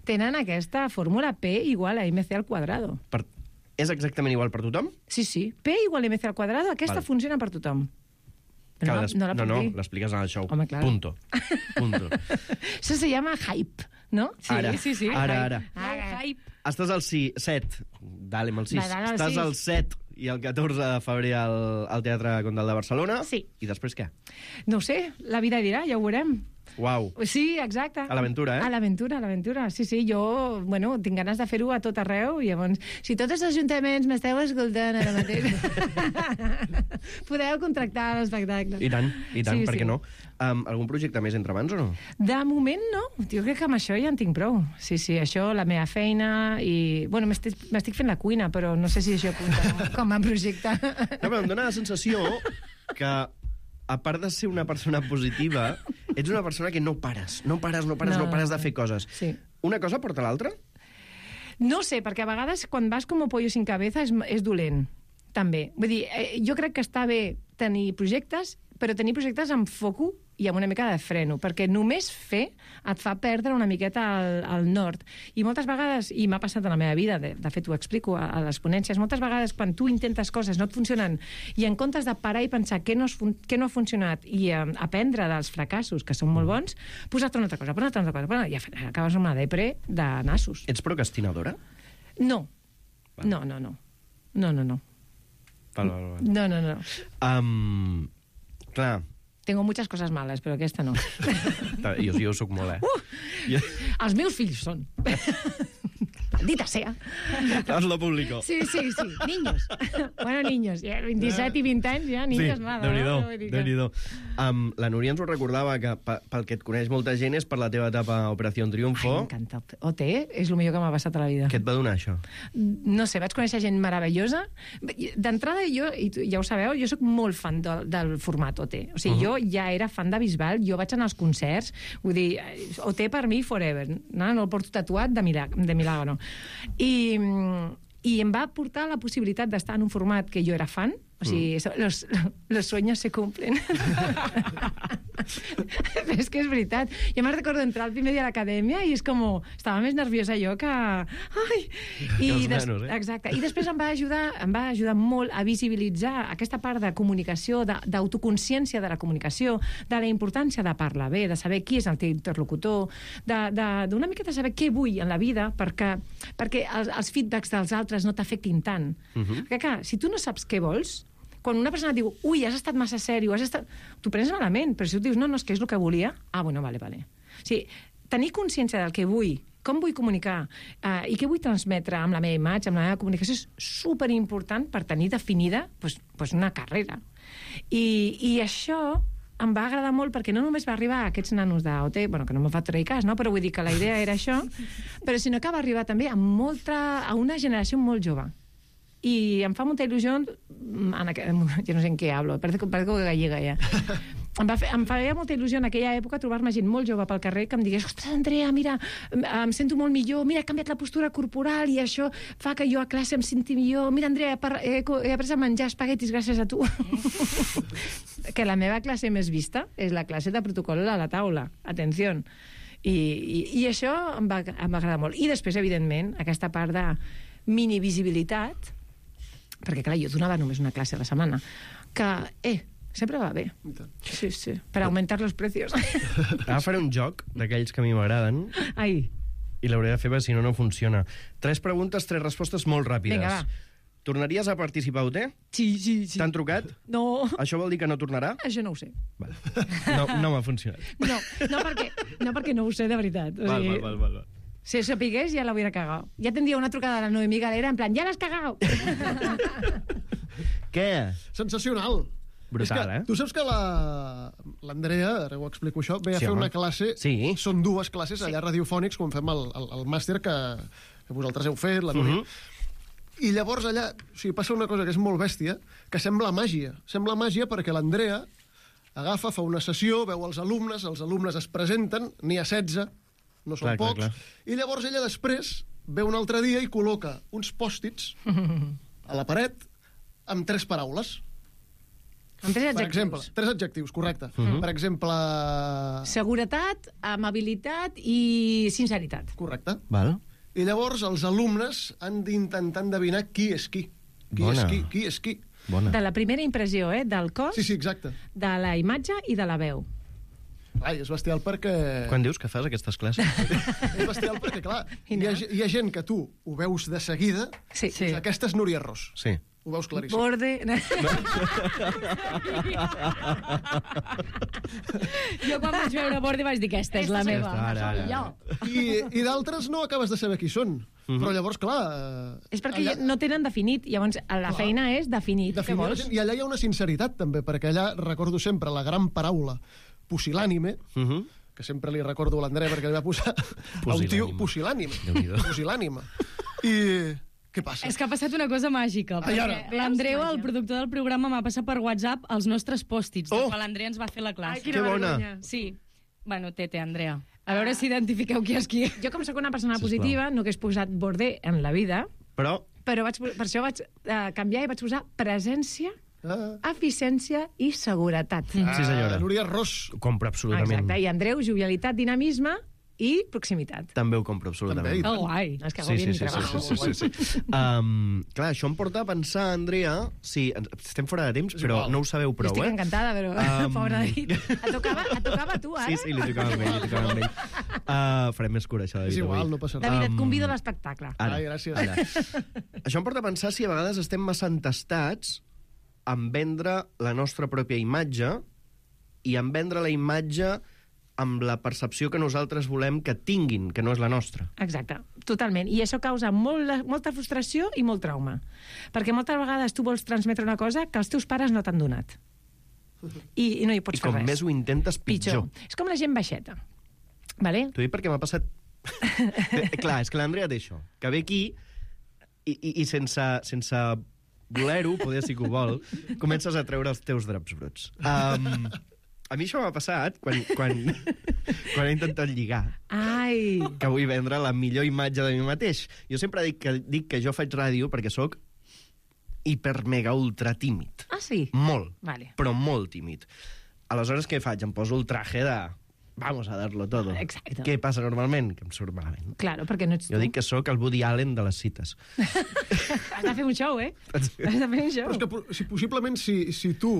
tenen aquesta fórmula P igual a MC al quadrado.
És exactament igual per tothom?
Sí. P igual a MC al quadrado, aquesta funciona per tothom.
No, l'expliques en el show.
Home, clar.
Punto.
Això se llama hype, ¿no?
Sí.
Ara.
Hype.
Estàs al 7. Dale, amb el 6.
Dale,
Estàs al 7 i el 14 de febrer al Teatre Condal de Barcelona.
Sí.
I després què?
No ho sé, la vida dirà, ja ho veurem.
Uau.
Sí, exacte.
A l'aventura,
A l'aventura. Sí, jo, tinc ganes de fer-ho a tot arreu, i llavors, si tots els ajuntaments m'esteu escoltant ara mateix, podeu contractar l'espectacle.
I tant,
Sí,
per
sí.
què no? Algun projecte més entre mans o no?
De moment, no. Jo crec que amb això ja en tinc prou. Sí, això, la meva feina, i... Bueno, m'estic fent la cuina, però no sé si això compta com a projecte.
No, però em dóna la sensació que, a part de ser una persona positiva, ets una persona que no pares de fer coses.
Sí.
Una cosa porta l'altra?
No sé, perquè a vegades quan vas com pollo sin cabeza és dolent, també. Vull dir, jo crec que està bé tenir projectes, però tenir projectes amb foco i amb una mica de freno, perquè només fer et fa perdre una miqueta el nord. I moltes vegades, i m'ha passat en la meva vida, de fet ho explico a les ponències, moltes vegades quan tu intentes coses no et funcionen, i en comptes de parar i pensar què no ha funcionat i aprendre dels fracassos, que són molt bons, posar-te una altra cosa, i acabes amb una depre de nassos.
Ets procrastinadora?
No. No.
Val. Clar.
Tengo muchas cosas malas, però aquesta no.
Jo sóc molt,
Els meus fills són. Maldita sea.
Hazlo público.
Sí. Niños. Bueno, niños. Ja 27 i 20 anys, ja, niños nada.
Déu-n'hi-do. La Núria ens ho recordava, que pel que et coneix molta gent és per la teva etapa a Operació Triunfo.
Ai, m'encanta. OT és el millor que m'ha passat a la vida.
Què et va donar, això?
No sé, vaig conèixer gent meravellosa. D'entrada, jo, i ja ho sabeu, jo sóc molt fan del format OT. O sigui, jo ja era fan de Bisbal, jo vaig anar als concerts, vull dir, OT per mi forever, no el porto tatuat de milagro. I em va portar la possibilitat d'estar en un format que jo era fan, o sigui, los sueños se cumplen. És que és veritat. Jo me'n recordo entrar el primer dia a l'acadèmia i és com... Estava més nerviosa jo que... Ai! Exacte. I després em va ajudar molt a visibilitzar aquesta part de comunicació, d'autoconsciència de la comunicació, de la importància de parlar bé, de saber qui és el teu interlocutor, d'una miqueta saber què vull en la vida perquè els feedbacks dels altres no t'afectin tant. Perquè, clar, si tu no saps què vols, quan una persona et diu, ui, has estat massa sèrio, t'ho prens malament, però si tu dius, no, és que és el que volia, bueno, vale. O sigui, tenir consciència del que vull, com vull comunicar i què vull transmetre amb la meva imatge, amb la meva comunicació, és superimportant per tenir definida una carrera. I això em va agradar molt perquè no només va arribar a aquests nanos d'OT, que no me'n fa treure cas, no? Però vull dir que la idea era això, però sinó que va arribar també a una generació molt jove. I em fa molta il·lusió, jo no sé en què hablo, parece gallega ja. Em feia molta il·lusió en aquella època trobar-me gent molt jove pel carrer que em digués, ostres, Andrea, mira, em sento molt millor, mira, he canviat la postura corporal i això fa que jo a classe em senti millor, mira, Andrea, he après a menjar espaguetis gràcies a tu. Que la meva classe més vista és la classe de protocol a la taula, atenció. I això em va agradar molt. I després, evidentment, aquesta part de minivisibilitat, perquè, clar, jo donava només una classe a la setmana, que, sempre va bé. Sí, per augmentar los precios.
Ara faré un joc d'aquells que a mi m'agraden.
Ai.
I l'hauré de fer perquè si no funciona. 3 preguntes, 3 respostes molt ràpides.
Vinga, va.
Tornaries a participar a OT?
Sí.
T'han trucat?
No.
Això vol dir que no tornarà?
Això no ho sé.
Vale. No m'ha funcionat.
No, perquè no ho sé de veritat. O sigui,
Val.
Si això pigués, ja l'hauria cagat. Ja tindria una trucada de la Noemí Galera en plan, ja l'has cagat!
Què?
Sensacional.
Brutal,
Tu saps que l'Andrea, ara ho explico això, ve a fer una classe, són 2 classes allà a Radiofònics, quan fem el màster que vosaltres heu fet, la Núria. I llavors allà passa una cosa que és molt bèstia, que sembla màgia. Sembla màgia perquè l'Andrea agafa, fa una sessió, veu els alumnes es presenten, n'hi ha 16, no són pocs, i llavors ella després ve un altre dia i col·loca uns pòstits a la paret amb 3 paraules.
Amb 3 adjectius.
Per exemple, 3 adjectius, correcte. Per exemple...
Seguretat, amabilitat i sinceritat.
Correcte.
Val.
I llavors els alumnes han d'intentar endevinar qui és qui. Qui és qui.
Bona.
De la primera impressió, del cos,
Sí, exacte.
de la imatge i de la veu.
Ai, és bestial perquè...
Quan dius que fas aquestes classes?
És bestial perquè, clar, hi ha gent que tu ho veus de seguida.
Sí.
Aquesta és Núria Ros.
Sí.
Ho veus claríssim.
Borde...
Jo quan vaig veure Borde vaig dir que aquesta és la meva.
Ara.
I d'altres no acabes de saber qui són. Però llavors, clar...
És perquè no tenen definit. Llavors, la feina és definir. Què vols?
I allà hi ha una sinceritat, també, perquè allà recordo sempre la gran paraula pusil·lànime, que sempre li recordo a l'Andrea perquè li va posar a un tio pusil·lànime. Pusil·lànime. I què passa?
És que ha passat una cosa màgica. L'Andreu, el productor del programa, m'ha passat per WhatsApp els nostres pòstits, quan l'Andrea ens va fer la classe.
Que bona.
Sí. Bueno, tete, Andrea. A veure si identifiqueu qui és qui.
Jo, com sóc una persona positiva, no hagués posat borde en la vida,
però
per això vaig canviar i vaig posar presència, eficiència i seguretat.
Sí, senyora.
Núria Ros.
Ho compro absolutament.
Exacte. I Andreu, jovialitat, dinamisme i proximitat.
També ho compro absolutament.
També.
Guai.
És que hago bien mi trabajo.
Sí. Clar, això em porta a pensar, Andrea... Sí, estem fora de temps, però no ho sabeu prou,
Estic encantada, però pobre David. Et tocava a tu, ara?
Sí, li tocava a ell. Farem més cura, això, David.
És igual, no passa res.
David, et convido a l'espectacle.
Ai, gràcies.
Això em porta a pensar si a vegades estem massa entestats en vendre la nostra pròpia imatge i en vendre la imatge amb la percepció que nosaltres volem que tinguin, que no és la nostra.
Exacte, totalment. I això causa molta frustració i molt trauma. Perquè moltes vegades tu vols transmetre una cosa que els teus pares no t'han donat. I no hi pots fer res.
I com més ho intentes, pitjor.
És com la gent baixeta. Vale?
T'ho dic perquè m'ha passat... Clar, és que l'Andrea té això, que ve aquí i sense voler-ho, poder sí que ho vol, comences a treure els teus draps bruts. A mi això m'ha passat quan he intentat lligar.
Ai!
Que vull vendre la millor imatge de mi mateix. Jo sempre dic que jo faig ràdio perquè sóc hiper mega ultra tímid.
Ah, sí?
Molt,
vale.
Però molt tímid. Aleshores, què faig? Em poso el traje de... Vamos a darlo todo.
Exacte.
Què passa normalment? Que em surt malament.
Claro, perquè no ets tu.
Jo dic que sóc el Woody Allen de les cites.
Has de fer un show, eh? Has de fer un show.
Però és que possiblement si tu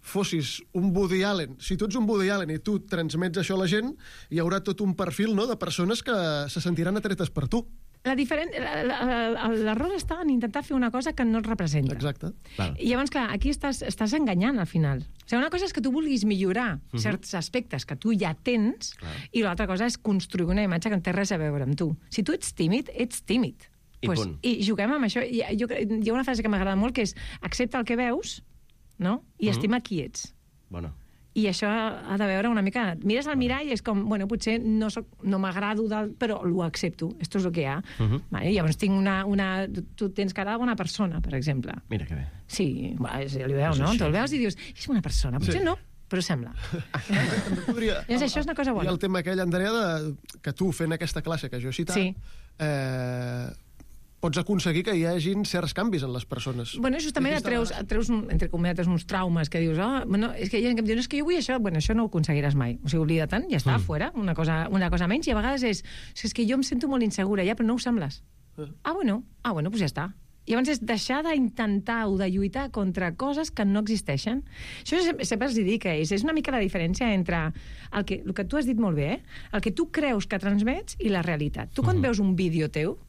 fossis un Woody Allen, si tu ets un Woody Allen i tu transmets això a la gent, hi haurà tot un perfil, no?, de persones que se sentiran atretes per tu.
L'error està en intentar fer una cosa que no et representa.
Exacte.
I llavors, clar, aquí estàs enganyant al final. O sigui, una cosa és que tu vulguis millorar certs aspectes que tu ja tens, i l'altra cosa és construir una imatge que no té res a veure amb tu. Si tu ets tímid, ets tímid. I juguem amb això. Hi ha una frase que m'agrada molt, que és accepta el que veus, no?, i estima qui ets.
Bona.
I això ha de veure una mica... Mires al mirall i és com, bueno, potser no m'agrado, però ho accepto. Esto és el que hi ha. Vale? Llavors tinc tu tens cara de bona persona, per exemple.
Mira que bé.
Sí, ja li veu, no? Te'l veus i dius, és bona persona. Potser no, però sembla. Llavors això és una cosa bona.
I el tema aquell, Andrea, que tu fent aquesta classe que jo he citat, pots aconseguir que hi hagin certs canvis en les persones.
Bueno, justament et treus entre cometes, uns traumes que dius, bueno, és que hi ha gent que em diu, no, és que jo vull això, bueno, això no ho aconseguiràs mai. O sigui, oblida-te'n, ja està, fora, una cosa menys, i a vegades és que jo em sento molt insegura, ja, però no ho sembles. Bueno, doncs ja està. I llavors és deixar d'intentar o de lluitar contra coses que no existeixen. Això sempre els dic que és una mica la diferència entre el que tu has dit molt bé, el que tu creus que transmets i la realitat. Tu quan veus un vídeo teu,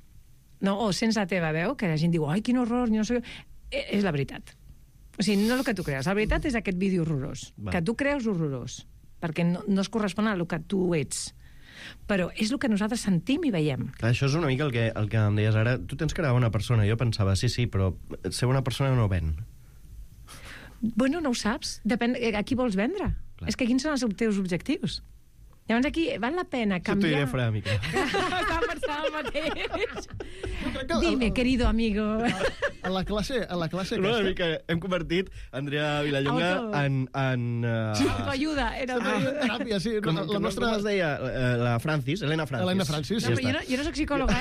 no, o sents la teva veu, que la gent diu, ai, quin horror, no sé, és la veritat. O sigui, no el que tu creus. La veritat és aquest vídeo horrorós. Que tu creus horrorós, perquè no es correspon al que tu ets. Però és el que nosaltres sentim i veiem.
Clar, això és una mica el que em deies ara. Tu tens cara de bona persona. Jo pensava, sí, però ser bona persona no ven.
Bueno, no ho saps. Depèn a qui vols vendre. Clar. És que quins són els teus objectius? Llavors aquí val la pena canviar...
Això t'ho diré fora, mica.
Estava pensant el mateix. Dime, querido amigo.
A la classe aquesta...
Una mica hem convertit Andrea Vilallonga en...
Autoajuda.
Teràpia, sí.
Com es deia? La Francis, Elena Francis.
Elena Francis.
Jo no soc psicòloga,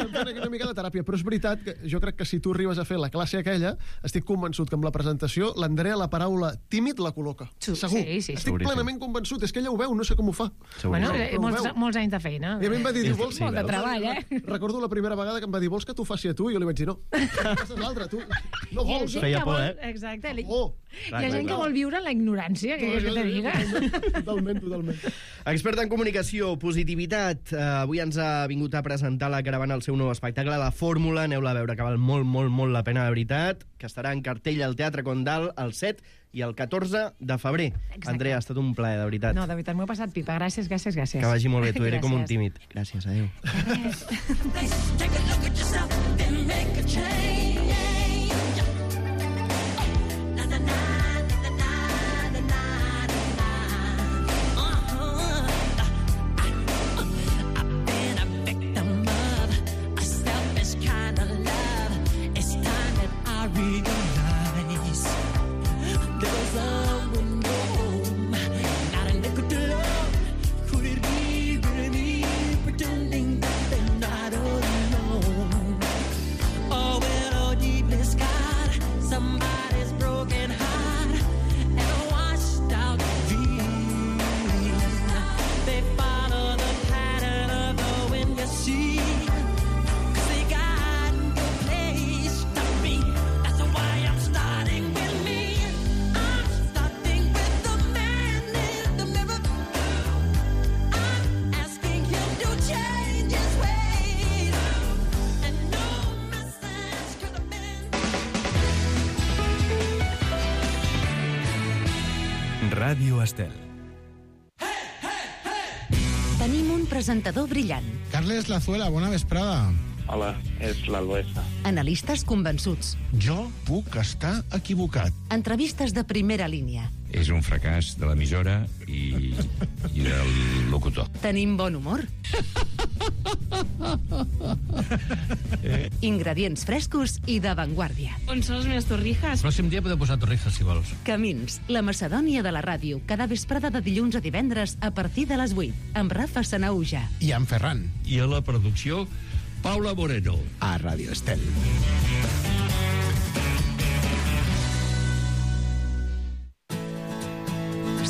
Una mica de teràpia, però és veritat que jo crec que si tu arribes a fer la classe aquella, estic convençut que amb la presentació l'Andrea la paraula tímid la col·loca. Segur.
Sí.
Estic plenament convençut. És que ella ho veu, no sé com ho fa.
Bueno, molts anys de feina.
I a mi em va dir, vols...
Molt de treball,
Recordo la primera vegada que em va dir, vols que t'ho faci a tu? I jo li vaig dir, no. Aquesta és l'altra, tu no vols.
Feia por,
Exacte. Hi ha gent que vol viure en la ignorància, que te diga.
Totalment.
Expert en comunicació, positivitat. Avui ens ha vingut a presentar la Caravana el seu nou espectacle, La Fórmula. Aneu-la a veure, que val molt la pena, de veritat. Que estarà en cartell al Teatre Condal el 7 i el 14 de febrer. Exacte. Andrea, ha estat un plaer, de veritat.
No, de veritat, m'ho he passat pipa. Gràcies.
Que vagi molt bé, tu diré com un tímid. Gràcies, adéu.
Ràdio Estel.
presentador brillant.
Carles Lazuela, bona vesprada.
Hola, és l'Albesa.
Analistes convençuts.
Jo puc estar equivocat.
Entrevistes de primera línia.
És un fracàs de l'emissora i del locutor.
Tenim bon humor. Ingredients frescos i d'avantguàrdia.
On són les meves torrijas?
El pròxim dia podeu posar torrijas, si vols.
Camins, la Macedònia de la ràdio, cada vesprada de dilluns a divendres a partir de les 8, amb Rafa Sanauja.
I en Ferran.
I a la producció, Paula Moreno.
A Ràdio Estel.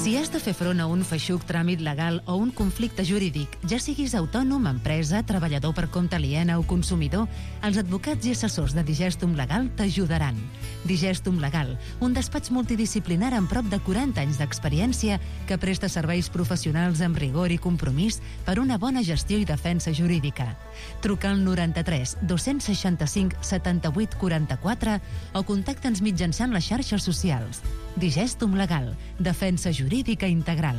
Si has de fer front a un feixuc tràmit legal o un conflicte jurídic, ja siguis autònom, empresa, treballador per compte aliena o consumidor, els advocats i assessors de Digestum Legal t'ajudaran. Digestum Legal, un despatx multidisciplinar amb prop de 40 anys d'experiència que presta serveis professionals amb rigor i compromís per una bona gestió i defensa jurídica. Truca al 93 265 78 44 o contacta'ns mitjançant les xarxes socials. Digestum Legal, defensa jurídica integral.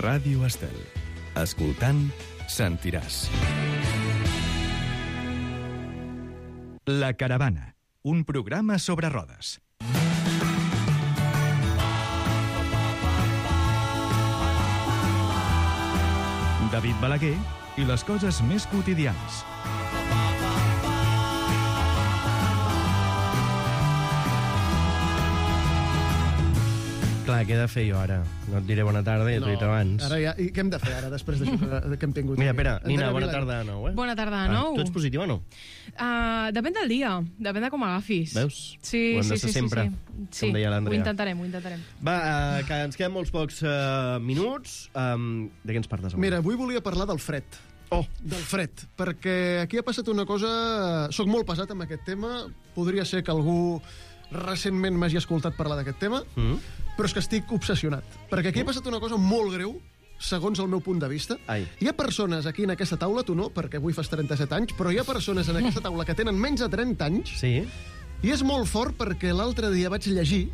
Ràdio Estel. Escoltant, sentiràs.
La Caravana, un programa sobre rodes. David Balaguer i les coses més quotidianes.
Clar, què he de fer jo ara? No et diré bona tarda, ja t'ho he dit abans.
Ara ja, i què hem de fer ara, després d'això que hem tingut?
Mira, espera, Nina, bona tarda de nou, eh?
Bona tarda de nou.
Tu ets positiva o no?
Depèn del dia, depèn de com agafis.
Veus?
Sí,
ho hem de ser sempre, com deia l'Andrea.
Ho intentarem.
Va, que ens queden molts pocs minuts. De què ens parles avui?
Mira, avui volia parlar del fred. Del fred, perquè aquí ha passat una cosa... Soc molt pesat amb aquest tema, podria ser que algú recentment m'hagi escoltat parlar d'aquest tema, però és que estic obsessionat. Perquè aquí ha passat una cosa molt greu, segons el meu punt de vista. Hi ha persones aquí en aquesta taula, tu no, perquè avui fas 37 anys, però hi ha persones en aquesta taula que tenen menys de 30 anys, i és molt fort perquè l'altre dia vaig llegir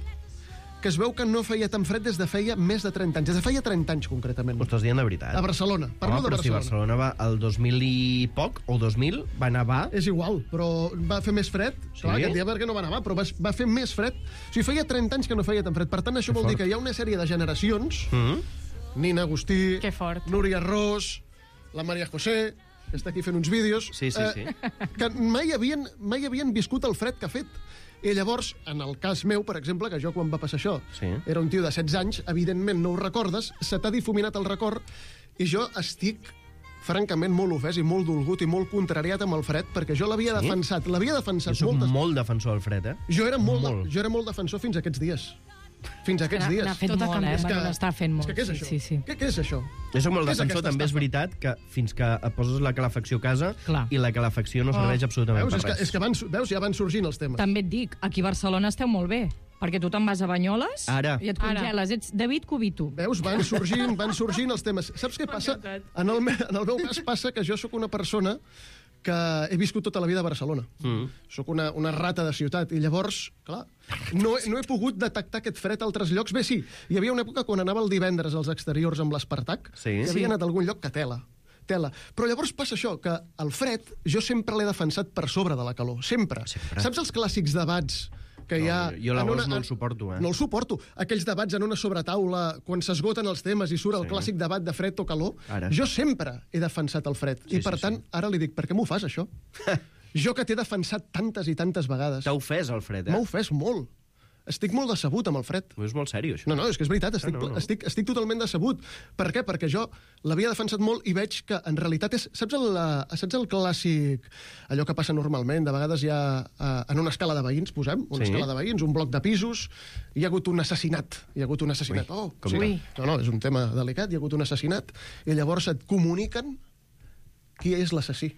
que es veu que no feia tan fred des de feia més de 30 anys. Des de feia 30 anys, concretament.
Ho estàs dient de veritat?
A Barcelona. Parlo de Barcelona.
Però si Barcelona va al 2000 i poc, o 2000, va nevar...
És igual, però va fer més fred. Sí? Clar, aquest dia perquè no va nevar, però va fer més fred. O sigui, feia 30 anys que no feia tan fred. Per tant, això vol dir que hi ha una sèrie de generacions, Nina Agustí, Núria Ros, la Maria José, que està aquí fent uns vídeos, que mai havien viscut el fred que ha fet. I llavors, en el cas meu, per exemple, que jo quan va passar això, era un tio de 16 anys, evidentment no ho recordes, se t'ha difuminat el record, i jo estic francament molt ofès i molt dolgut i molt contrariat amb el fred, perquè jo l'havia defensat
Jo soc molt defensor del fred, eh?
Jo era molt defensor fins a aquests dies. Fins a aquests dies.
N'ha fet molt, n'està fent molt.
És que què és això?
Sí.
Què és això?
Jo soc molt defensor, també és veritat, que fins que et poses la calefacció a casa i la calefacció no serveix absolutament per res.
És que ja van sorgint els temes.
També et dic, aquí a Barcelona esteu molt bé, perquè tu te'n vas a Banyoles i et congeles. Ets David Cubito.
Veus, van sorgint els temes. Saps què passa? En el meu cas passa que jo sóc una persona que he viscut tota la vida a Barcelona. Soc una rata de ciutat, i llavors, clar, no he pogut detectar aquest fred a altres llocs. Bé, sí, hi havia una època quan anava el divendres als exteriors amb l'Espartac, i havia anat a algun lloc que tela. Però llavors passa això, que el fred jo sempre l'he defensat per sobre de la calor, sempre. Saps els clàssics debats que hi ha...
Jo l'agost no el suporto,
No el suporto. Aquells debats en una sobretaula, quan s'esgoten els temes i surt el clàssic debat de fred o calor, jo sempre he defensat el fred. I per tant, ara li dic, per què m'ho fas, això? Jo que t'he defensat tantes i tantes vegades.
T'ha ofès el fred, eh?
M'ha ofès molt. Estic molt decebut amb el fred.
És molt sèrio, això.
No, és que és veritat, estic totalment decebut. Per què? Perquè jo l'havia defensat molt i veig que en realitat és... Saps el clàssic, allò que passa normalment? De vegades hi ha, en una escala de veïns, posem, una escala de veïns, un bloc de pisos, hi ha hagut un assassinat. No, és un tema delicat, hi ha hagut un assassinat, i llavors et comuniquen qui és l'assassí.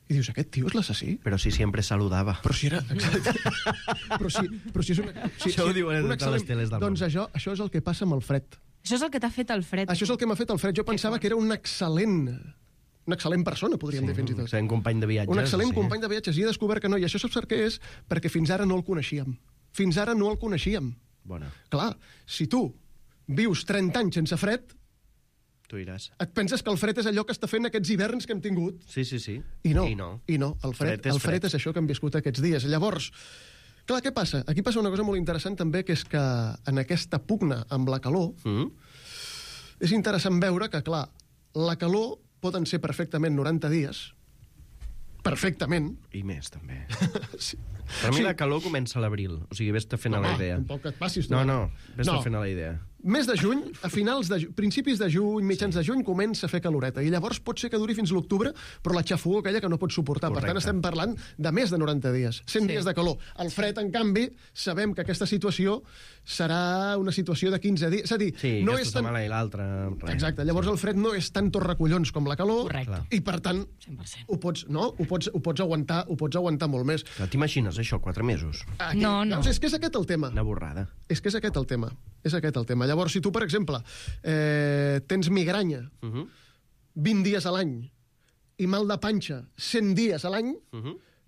I dius, aquest tio és l'assassí?
Però si sempre saludava.
Però si era... Però si és una...
Això ho diuen a les teles del món.
Doncs això és el que passa amb el fred.
Això és el que t'ha fet el fred.
Això és el que m'ha fet el fred. Jo pensava que era una excel·lent persona, podríem dir fins i tot.
Un company de viatges.
Un excel·lent company de viatges. I he descobert que no. I això saps per què és? Perquè fins ara no el coneixíem. Fins ara no el coneixíem.
Bona.
Clar, si tu vius 30 anys sense fred,
tu diràs.
Et penses que el fred és allò que està fent aquests hiverns que hem tingut.
Sí.
I no. El fred és això que hem viscut aquests dies. Llavors, clar, què passa? Aquí passa una cosa molt interessant també, que és que en aquesta pugna amb la calor, és interessant veure que, clar, la calor poden ser perfectament 90 dies, perfectament.
I més, també.
Sí.
Per mi la calor comença a l'abril, o sigui, vés-te fent a la idea.
Un poc que et passis.
No, vés-te fent a la idea.
Mes de juny, a finals de principis de juny, mitjans de juny, comença a fer caloreta. I llavors pot ser que duri fins l'octubre, però la xafogor aquella que no pots suportar. Correcte. Per tant, estem parlant de més de 90 dies. 100 dies de calor. El fred, en canvi, sabem que aquesta situació serà una situació de 15 dies. És a dir, no és tan...
setmana i l'altra.
Exacte. Llavors el fred no és tant torracollons com la calor.
Correcte.
I, per tant,
100%.
ho pots aguantar molt més.
T'imagines això, 4 mesos?
No.
És que és aquest el tema.
Una borrada.
És que és aquest el tema. Llavors, si tu, per exemple, tens migranya 20 dies a l'any i mal de panxa 100 dies a l'any,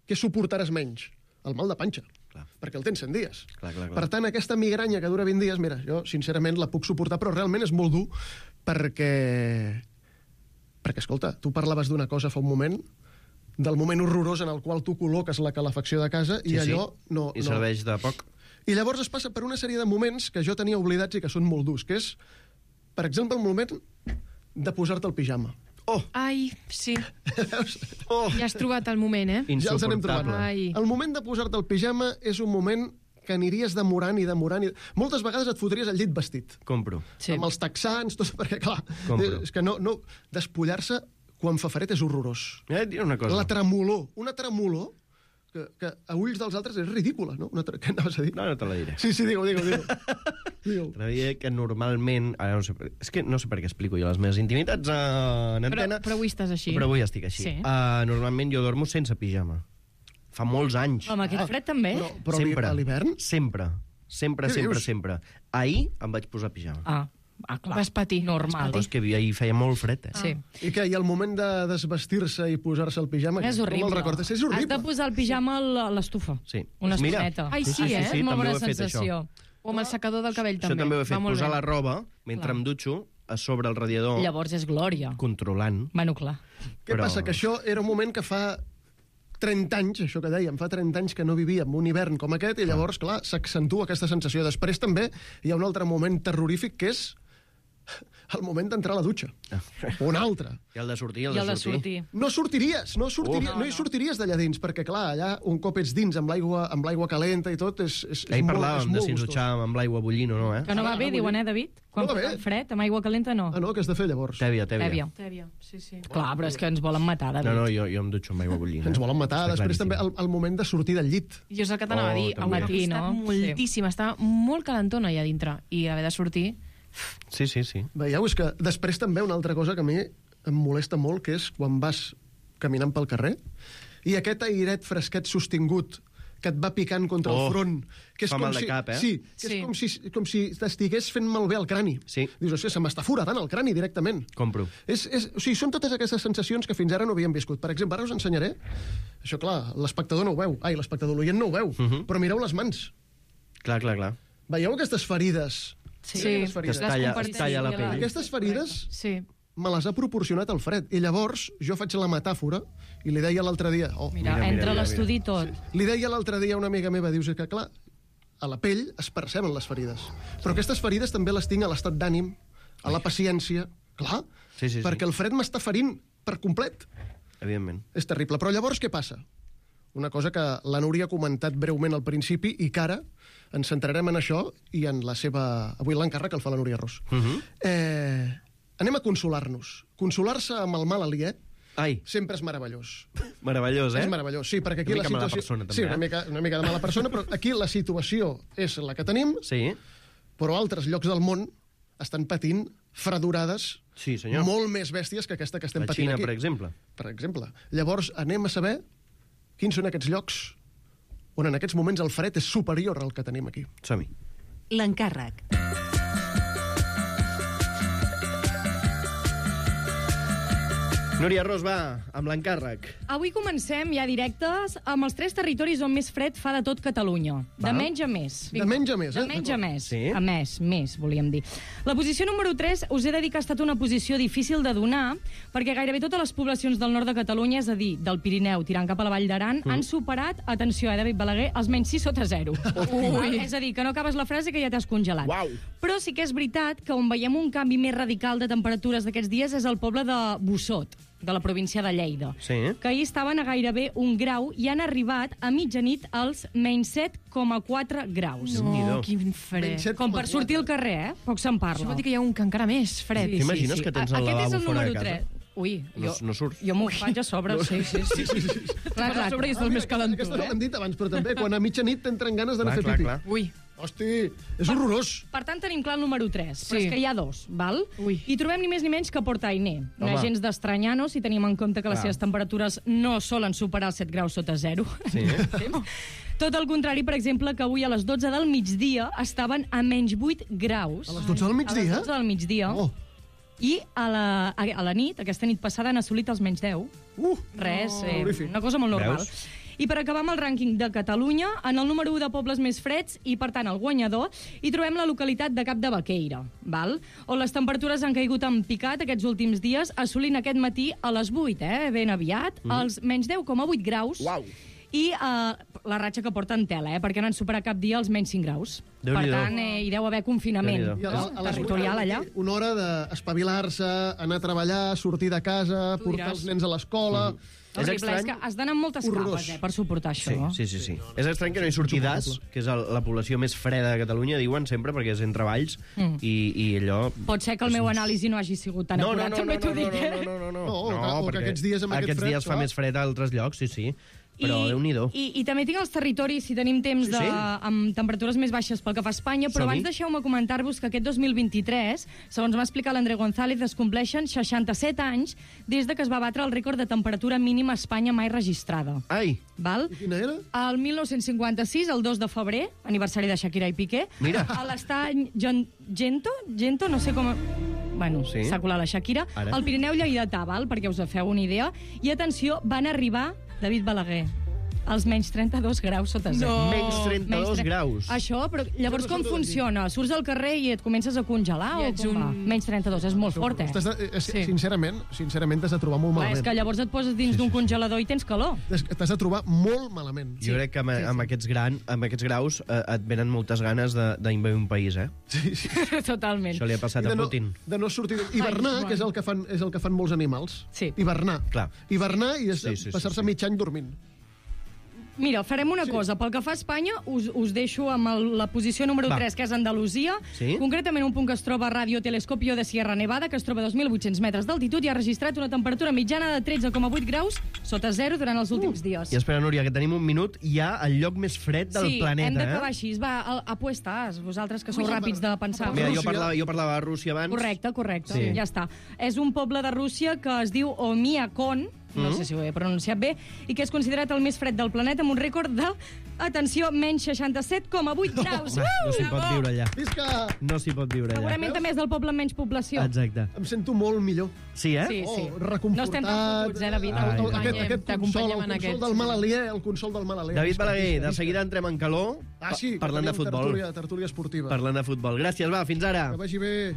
què suportaràs menys? El mal de panxa. Clar. Perquè el tens 100 dies.
Clar.
Per tant, aquesta migranya que dura 20 dies, mira, jo sincerament la puc suportar, però realment és molt dur perquè escolta, tu parlaves d'una cosa fa un moment, del moment horrorós en el qual tu col·loques la calefacció de casa i allò no...
I serveix de poc.
I llavors es passa per una sèrie de moments que jo tenia oblidats i que són molt durs, que és, per exemple, el moment de posar-te el pijama.
Oh! Ai, sí. Ja has trobat el moment, eh?
Ja els anem trobant.
Ai.
El moment de posar-te el pijama és un moment que aniries demorant. Moltes vegades et fotries al llit vestit.
Compro.
Sí. Amb els texans, tot, perquè, clar, és que no despullar-se quan fa fred és horrorós.
Una cosa.
La tremolor. Una tremolor que a ulls dels altres és ridícula, no? Què anaves a dir?
No te la diré.
Sí, digue-ho.
Creia que normalment... Ara no sé, és que no sé per què explico jo les meves intimitats en antena.
Però avui estàs així.
Però avui estic així.
Sí.
Normalment jo dormo sense pijama. Fa molts anys.
Amb aquest fred també?
Però sempre. A l'hivern?
Sempre. Ahir em vaig posar pijama.
Clar.
Vas patir.
Normal.
Però és que ahir feia molt fred,
Sí.
I què? I el moment de desvestir-se i posar-se el pijama...
És horrible.
Com el recordes? És horrible.
Has de posar el pijama a l'estufa.
Sí.
Una estoneta.
Ai, sí,
És molt bona sensació.
O amb el secador del cabell, també.
Això també ho he fet, posar la roba, mentre em dutxo, a sobre el radiador...
Llavors és glòria.
Controlant.
Bueno, clar.
Què passa? Que això era un moment que fa 30 anys, això que dèiem, fa 30 anys que no vivíem un hivern com aquest, i llavors, clar, s'accentua aquesta sensació. Després també hi ha un altre moment terrorífic, que és el moment d'entrar a la dutxa. Un altre.
I el de sortir,
No sortiries, no hi sortiries d'allà dins, perquè, clar, allà, un cop ets dins amb l'aigua calenta i tot, és
ahir parlàvem de si ens dutxàvem amb l'aigua bullint o no,
Que no va bé, diuen, David? Quan fa fred, amb aigua calenta, no.
No, què has de fer, llavors?
Tèbia.
Sí.
Clar, però és que ens volen matar, David.
No, jo em dutxo amb aigua bullint.
Ens volen matar. Després també el moment de sortir del llit.
Jo és el que t'anava a dir. Al matí, no? Moltíssim. Estava molt calentona allà dintre. I haver de sortir...
Sí.
Veieu, és que després també una altra cosa que a mi em molesta molt, que és quan vas caminant pel carrer i aquest airet fresquet sostingut que et va picant contra el front, que és
fa
com
mal de cap, eh?
Sí, que és com si t'estigués fent malbé el crani.
Sí.
Dius, hòstia, se m'està foradant el crani directament.
Compro.
O sigui, són totes aquestes sensacions que fins ara no havíem viscut. Per exemple, ara us ensenyaré, això clar, l'espectador no ho veu, l'oient no ho veu, però mireu les mans.
Clar.
Veieu aquestes ferides?
Sí,
que es talla la pell.
Aquestes ferides me les ha proporcionat el fred. I llavors jo faig la metàfora i li deia l'altre dia...
Mira, entra a l'estudi tot.
Li deia l'altre dia a una amiga meva, dius que clar, a la pell es perceben les ferides. Però aquestes ferides també les tinc a l'estat d'ànim, a la paciència... Clar, perquè el fred m'està ferint per complet.
Evidentment.
És terrible. Però llavors què passa? Una cosa que la Núria ha comentat breument al principi i que ara ens centrarem en això i en la seva... Avui l'encàrrec el fa la Núria Ros. Anem a consolar-nos. Consolar-se amb el mal aliè sempre és meravellós.
Meravellós,
És meravellós, sí, perquè aquí
una
la
mica
situació...
mala persona, també,
sí, una mica de mala persona, però aquí la situació és la que tenim, però altres llocs del món estan patint fredurades molt més bèsties que aquesta que estem patint aquí.
La Xina, per exemple.
Per exemple. Llavors, anem a saber quins són aquests llocs on en aquests moments el fred és superior al que tenim aquí.
Som-hi.
L'encàrrec.
Núria Ros, va, amb l'encàrrec.
Avui comencem ja directes amb els 3 territoris on més fred fa de tot Catalunya. De menys a més.
De menys a més,
De menys a més.
Sí.
A més, volíem dir. La posició número 3, us he de dir que ha estat una posició difícil de donar, perquè gairebé totes les poblacions del nord de Catalunya, és a dir, del Pirineu tirant cap a la Vall d'Aran, han superat, atenció, David Balaguer, els menys 6 sota 0. És a dir, que no acabes la frase que ja t'has congelat.
Uau.
Però sí que és veritat que on veiem un canvi més radical de temperatures d'aquests dies és el poble de Bossot, de la província de Lleida, que ahir estaven a gairebé 1 grau i han arribat a mitjanit als menys 7,4 graus.
No, quin fred.
Com per sortir al carrer, Poc se'n parla.
Això vol dir que hi ha un que encara més fred.
T'imagines que tens el lavabo fora de casa?
Ui,
no surts.
Jo m'ho faig a sobre, sí. Clar,
a sobre i estàs més calent.
Aquesta l'hem dit abans, però també quan a mitjanit t'entren ganes d'anar a fer pipí.
Ui.
Hosti, és horrorós.
Per tant, tenim clar el número 3, però és que hi ha 2, val? I trobem ni més ni menys que Port Ainé. No és gens d'estranyar, no?, si tenim en compte que les seves temperatures no solen superar els 7 graus sota 0.
Sí.
Tot el contrari, per exemple, que avui a les 12 del migdia estaven a menys 8 graus.
A les 12 del migdia?
A les 12 del migdia.
Oh.
I a la nit, aquesta nit passada, han assolit els menys 10. Res, una cosa molt normal.
Veus?
I per acabar amb el rànquing de Catalunya, en el número 1 de pobles més freds, i per tant el guanyador, hi trobem la localitat de Cap de Baqueira, val? On les temperatures han caigut en picat aquests últims dies, assolint aquest matí a les 8, ben aviat, els menys 10,8 graus.
Uau!
I la ratxa que porten tela, perquè no han superat cap dia els menys 5 graus. Per tant, hi deu haver confinament territorial allà.
Una hora d'espavilar-se, anar a treballar, sortir de casa, portar els nens a l'escola...
És que has d'anar amb moltes capes per suportar això.
Sí. És estrany que no hi surti Das, que és la població més freda de Catalunya, diuen sempre, perquè és entre valls, i allò...
Pot ser que el meu anàlisi no hagi sigut tan acurat, també t'ho dic.
No, perquè aquests dies amb aquest fred...
Aquests dies fa més fred a altres llocs, sí. Però Déu-n'hi-do.
I també tinc els territoris, si tenim temps, amb temperatures més baixes pel que fa a Espanya, però abans deixeu-me comentar-vos que aquest 2023, segons m'ha explicat l'André González, es compleixen 67 anys des de que es va batre el rècord de temperatura mínima a Espanya mai registrada.
Ai!
Val?
I quina era?
El 1956, el 2 de febrer, aniversari de Shakira i Piqué, a l'estany Gento, no sé com... Bueno, s'ha colat la Shakira. El Pirineu lleidatà, val? Perquè us feu una idea. I atenció, van arribar, David Balaguer, als menys 32 graus sota 0.
No. Menys 32 graus.
Això, però llavors com funciona? Surts al carrer i et comences a congelar o com va? Menys 32, és molt fort,
Sincerament, t'has de trobar molt malament.
És que llavors et poses dins d'un congelador i tens calor.
T'has de trobar molt malament.
Jo crec que amb aquests graus et venen moltes ganes d'invadir un país,
Sí.
Totalment.
Això li ha passat a Putin.
De no sortir... Hivernar, que és el que fan molts animals.
Sí.
Hivernar.
Clar.
Hivernar i passar-se mig any dormint.
Mira, farem una cosa. Pel que fa a Espanya, us deixo amb la posició número 3, que és Andalusia. Concretament un punt que es troba a Radio Telescopio de Sierra Nevada, que es troba a 2.800 metres d'altitud i ha registrat una temperatura mitjana de 13,8 graus sota 0 durant els últims dies.
I espera, Núria, que tenim un minut. Hi ha el lloc més fred del planeta.
Sí, hem d'acabar així. Va, apuestas, vosaltres que sou ràpids de pensar.
Mira, jo parlava de Rússia abans.
Correcte, ja està. És un poble de Rússia que es diu Omiakon, no sé si ho he pronunciat bé, i que és considerat el més fred del planeta amb un rècord de, atenció, menys 67,8 graus.
No s'hi pot viure allà.
Visca!
No s'hi pot viure allà.
Segurament també és del poble amb menys població.
Exacte.
Em sento molt millor.
Sí,
Sí.
Reconfortat.
No estem tan fotuts, David?
El consol del mal aliè.
David Balaguer, de seguida entrem en calor parlant de futbol.
Tertúlia esportiva.
Parlant de futbol. Gràcies, va, fins ara.
Que vagi bé.